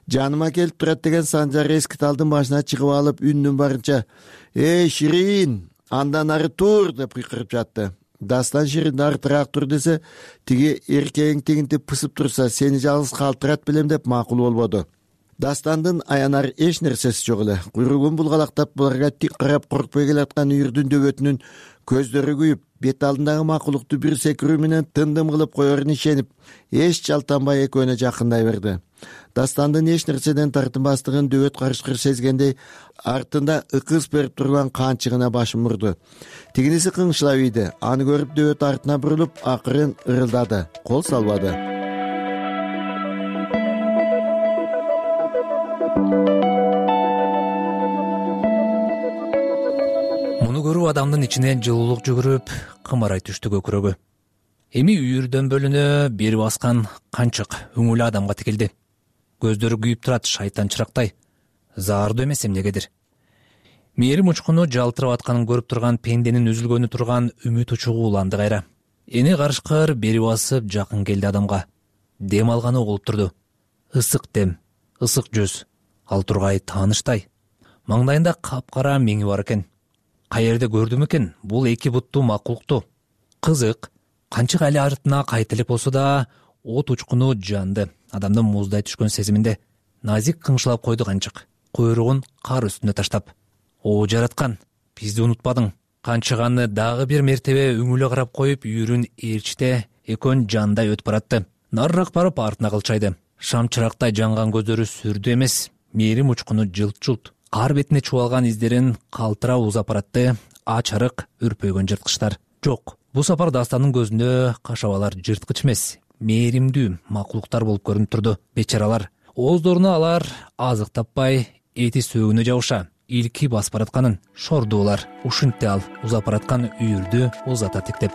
[SPEAKER 5] Жаныма келип турат деген Санжар эски талдын башына чыгып алып, үнүнүн барынча «Эй, Ширин, андан ары тур!» деп кыйкырып жатты. Дастан Ширин артыраак тур десе, тиги эркегиң тигинтип пысып турса, сени жалгыз калтырат белем деп макул болбоду. Дастандын аянар эч нерсеси жок эле. Куйругун булгалактап, буларга тик карап коркпой келаткан үйүрдүн дөбөтүнүн көздөрү күйүп, бет алдындагы макулукту бир секирүү менен тындым кылып коерун ишенип, эч жалтанбай экөөнө жакындай берди. Дастандын эч нерседен тартынбастыгын дөбөт карышкыр сезгендей, артында ыкыс берип турган канчыгына башын бурду. Тигиниси кыңшылап ийди. Аны көрүп дөбөт артына бурулуп, акырын ырылдады. Кол салбады.
[SPEAKER 17] Муну көрүп адамдын ичине жылуулук жүгүрүп, кымарай түштү көкүрөгү. Эми үйүрдөн бөлүнө бери баскан канчык өңүлү адамга тикилди. Көздөрү күйүп турат шайтан чырактай. Заардуу эмес эмнегедир. Мээрим учкуну жалтырап атканын көрүп турган пенденин үзүлгөнү турган үмүт учугу уланды кайра. Эни карышкыр бери басып жакын келди адамга. Дем алганы угулуп турду. Ысык дем, ысык жүз, ал тургай тааныштай. Маңдайында капкара меңи бар экен. Каерде көрдүм экен бул эки буттуу макулукту? Кызык, канчык али артына кайтылып болсо да, от учкуну жанды. Адамдын муздай түшкөн сезиминде назик кыңшылап койду канчык, куйругун кар үстүнө таштап. О жараткан, бизди унутпадың. Канчыганы дагы бир мертебе өңүлө карап коюп, үйүрүн ээрчите экөөн жандай өтүп баратты. Нарыраак барып артына кылчайды. Шам чырактай жанган көздөрү сүрдү эмес, мээрим учкуну жылт-жылт. Кар бетине чубалган издерин калтырап узап баратты. Ач арык үрпөйгөн жырткычтар. Жок, бул сапар Дастанын көзүндө кашабалар жырткыч эмес, мээримдүү макулуктар болуп көрүнүп турду. Бечаралар, ооздоруна алар азык таппай, эти сөөгүнө жабыша, илки басып баратканын шордуулар. Ушинтти ал узап бараткан үйүрдү узата тиктеп.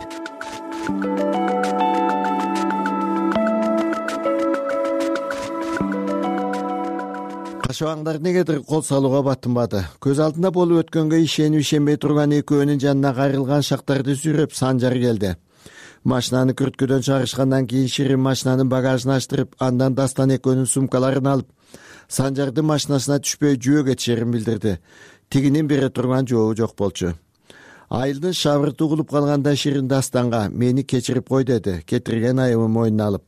[SPEAKER 5] Кашабаңдар негедир кол салууга батынбады. Көз алдында болуп өткөнгө ишенип ишенбей турган экөөнүн жанына кайрылган шактарды сүйрөп Санжар келди. Машинаны күрткөдөн чыгарышкандан кийин Ширин машинанын багажын ачтырып, андан Дастан экөөнүн сумкаларын алып, Санжардын машинасына түшпөй жөө кетишерин билдирди. Тигинин бере турган жообу жок болчу. Айылдын шабырты угулуп калганда Ширин Дастанга «Мени кечирип кой» деди, кетирген айыбын мойнуна алып.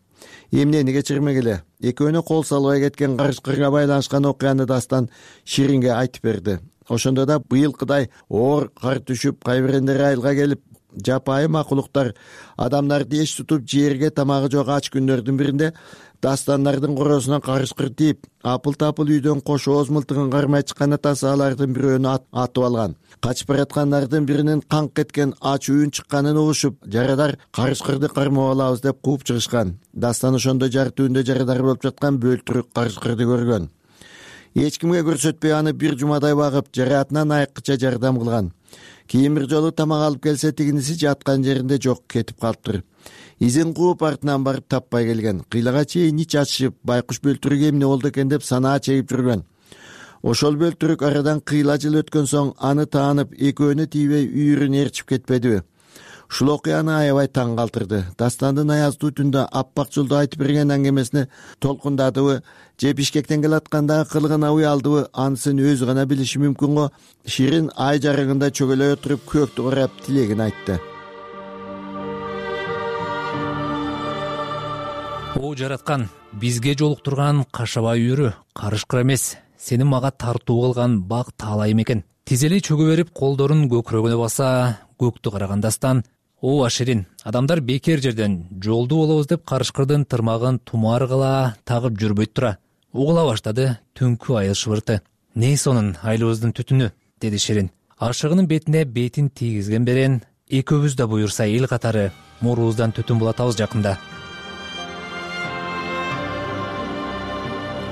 [SPEAKER 5] Эмнени кечирмегиле? Экөөнө кол салбай кеткен карыш-кырга байланышкан окуяны Дастан Ширинге айтып берди. Ошондо да быйылкыдай оор кар түшүп, кайбирендери айылга келип, жапайы макулуктар адамдарды эч тутуп жерге тамагы жок ач күндөрдүн биринде дастандардын коросуна карышкыр тийип, апыл-тапыл үйдөн кош ооз мылтыгын кармай чыккан атасы алардын бирөөнү атып алган. Качып бараткандардын биринин канк кеткен ач үйүн чыкканын угушуп, жарадар карышкырды кармап алабыз деп кууп чыгышкан. Дастан ошондо жар түбүндө жарадар болуп жаткан бөлтүрүк карышкырды көргөн. Эч кимге көрсөтпөй аны бир жумадай багып, жараатынан айыккыча жардам кылган. Кийин бир жолу тамак алып келсе, тигиниси жаткан жеринде жок, кетип калыптыр. Изин кууп артынан барып таппай келген. Кыйлага чейин ич ачышып, байкуш бөлтүрүк эмне болду экен деп санаа чегип жүргөн. Ошол бөлтүрүк арадан кыйла жыл өткөн соң аны таанып, экөөнү тийбей үйүрүн ээрчип кетпедиби? Ушул окуяны аябай таң калтырды. Дастандын аяздуу түндө аппак жолду айтып берген аңгемесине толкундадыбы же Бишкектен келаткандагы кылыгына уялдыбы, анысын өзү гана билиши мүмкүн го. Ширин ай жарыгында чөгөлөй отуруп көктү карап тилегин айтты.
[SPEAKER 17] О жараткан, бизге жолуктурган кашабай үйүрү карышкыр эмес, сени мага тартуу кылган бак таалайым экен. Тизели чөгө берип, колдорун көкүрөгүнө баса, көктү караган Дастан: о Аширин, адамдар бекер жерден жолду болобуз деп карышкырдын тырмагын тумар кыла тагып жүрбөйт тура. Угула баштады түнкү айыл шыбырты. Не сонун айлыбыздын түтүнү, деди Ширин. Ашыгынын бетине бетин тийгизген берен, экөөбүз да буюрса эл катары мурубуздан түтүн булатабыз жакында.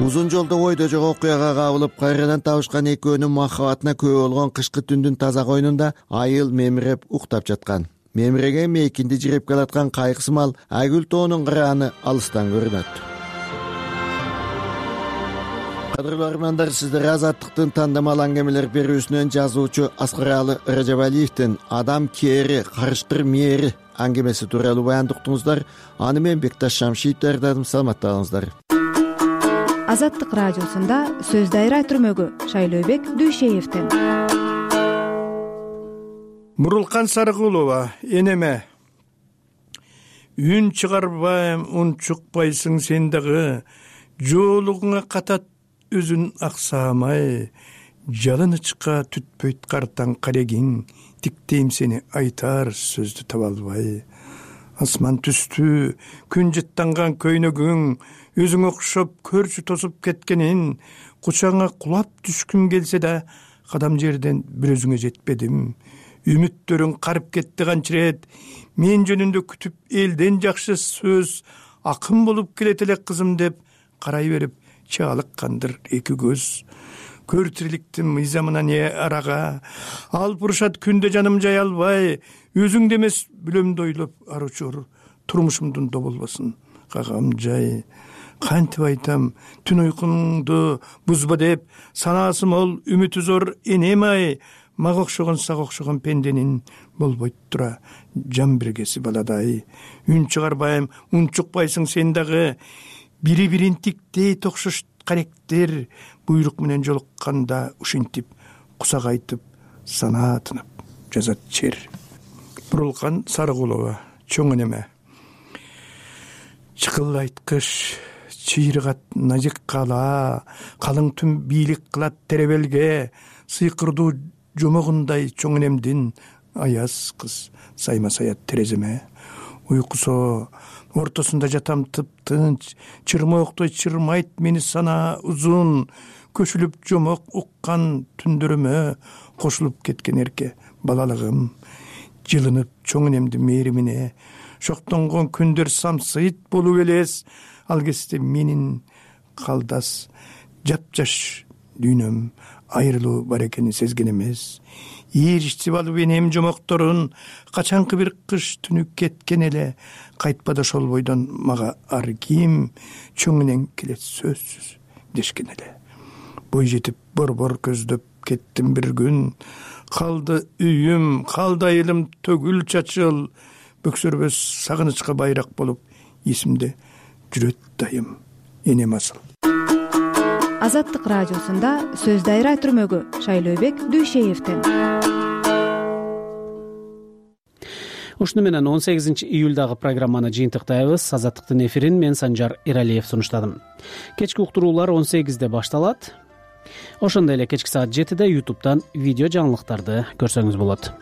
[SPEAKER 5] Узун жолдо ойдо жок окуяга кабылып, кайрадан табышкан экөөнүн махабатына күбө болгон кышкы түндүн таза койнунда айыл мемиреп уктап жаткан. Мемиреген мейкинди жиреп келаткан кайгысымал Айгүл тоонун кырааны алыстан көрүнөт. Кадырлуу армандар, сиздер Азаттыктын тандамал аңгемелер берүүсүнөн жазуучу Аскаралы Ражабалиевдин «Адам кээри, карышкыр мээри» аңгемеси тууралуу баяндык уктуңуздар. Аны мен Бекташ Шамшиев даярдадым. Саламатталыңыздар.
[SPEAKER 10] Азаттык радиосунда сөз дайра түрмөгү Шайлообек Дүйшеевден.
[SPEAKER 11] Мурулкан Сарыгулова, энеме. Үн чыгарбайм, ун чукпайсың сен дагы, жоолугуңа катат өзүн аксамай, жалынычка түтпөйт картаң карегиң, тиктейм сени айтар сөздү таба албай. Асман түстү, күн жыттанган көйнөгүң, өзүң окшоп көрчү тосуп кеткенин, кучаңа кулап түшкүм келсе да, кадам жерден бир өзүңө жетпедим. Үмүттөрүң карып кетти канчырет, мен жөнүндө күтүп элден жакшы сөз, акын болуп келет эле кызым деп карай берип чаалыккандыр эки көз. Көр тириликтин мыйзамына не арага, алып урушат күндө жаным жай албай, өзүңдө эмес бүлөмдү ойлоп аручур, турмушумдун доболбосун кагам жай. Кантип айтам, түн уйкуңду бузба деп, санаасы мол, үмүтү зор энем ай, мага окшогон сага окшогон пенденин болбойт тура жан биргеси баладай. Үн чыгарбайм, ун чукпайсың сен дагы, бири бирин тиктей токшош каректер, буйрук менен жолукканда ушинтип кусак айтып, санаа тынып жазат чер. Бурулкан Сарыгулова, чоң энеме. Чыкылайт кыш, чыйрыгат назик кала, калың түн бийлик кылат теребелге, сыйкырдуу жомогундай чоң энемдин аяз кыз сайма саят тереземе. Уйкусо ортосунда жатам тып-тынч, чырмооктой чырмайт мени санаа узун, көшүлүп жомок уккан түндөрүмө кошулуп кеткен эрке балалыгым. Жылынып чоң энемдин мээримине, шоктонгон күндөр самсыйт болуп элес, ал кезде менин калдас жапжаш дүйнөм айрылуу бар экенин сезген эмес. Ийричтип алып энем жомокторун, качанкы бир кыш түнү кеткен эле, кайтпады ошол бойдон мага ар ким, чоң энең келет сөзсүз дешкен эле. Бой жетип борбор көздөп кеттим бир күн, калды үйүм, калды айылым төгүл чачыл, бөксөрбөс сагынычка байрак болуп эсимде жүрөт дайым энем асыл.
[SPEAKER 10] Азаттык радиосунда сөз дайра түрмөгү Шайлообек Дүйшеевден.
[SPEAKER 2] Ушуну менен он сегизинчи июлдагы программаны жыйынтыктайбыз. Азаттыктын эфирин мен Санжар Иралиев сунуштадым. Кечки уктуруулар он сегизде башталат. Ошондой эле кечки саат жетиде ютубтан видео жаңылыктарды көрсөңүз болот.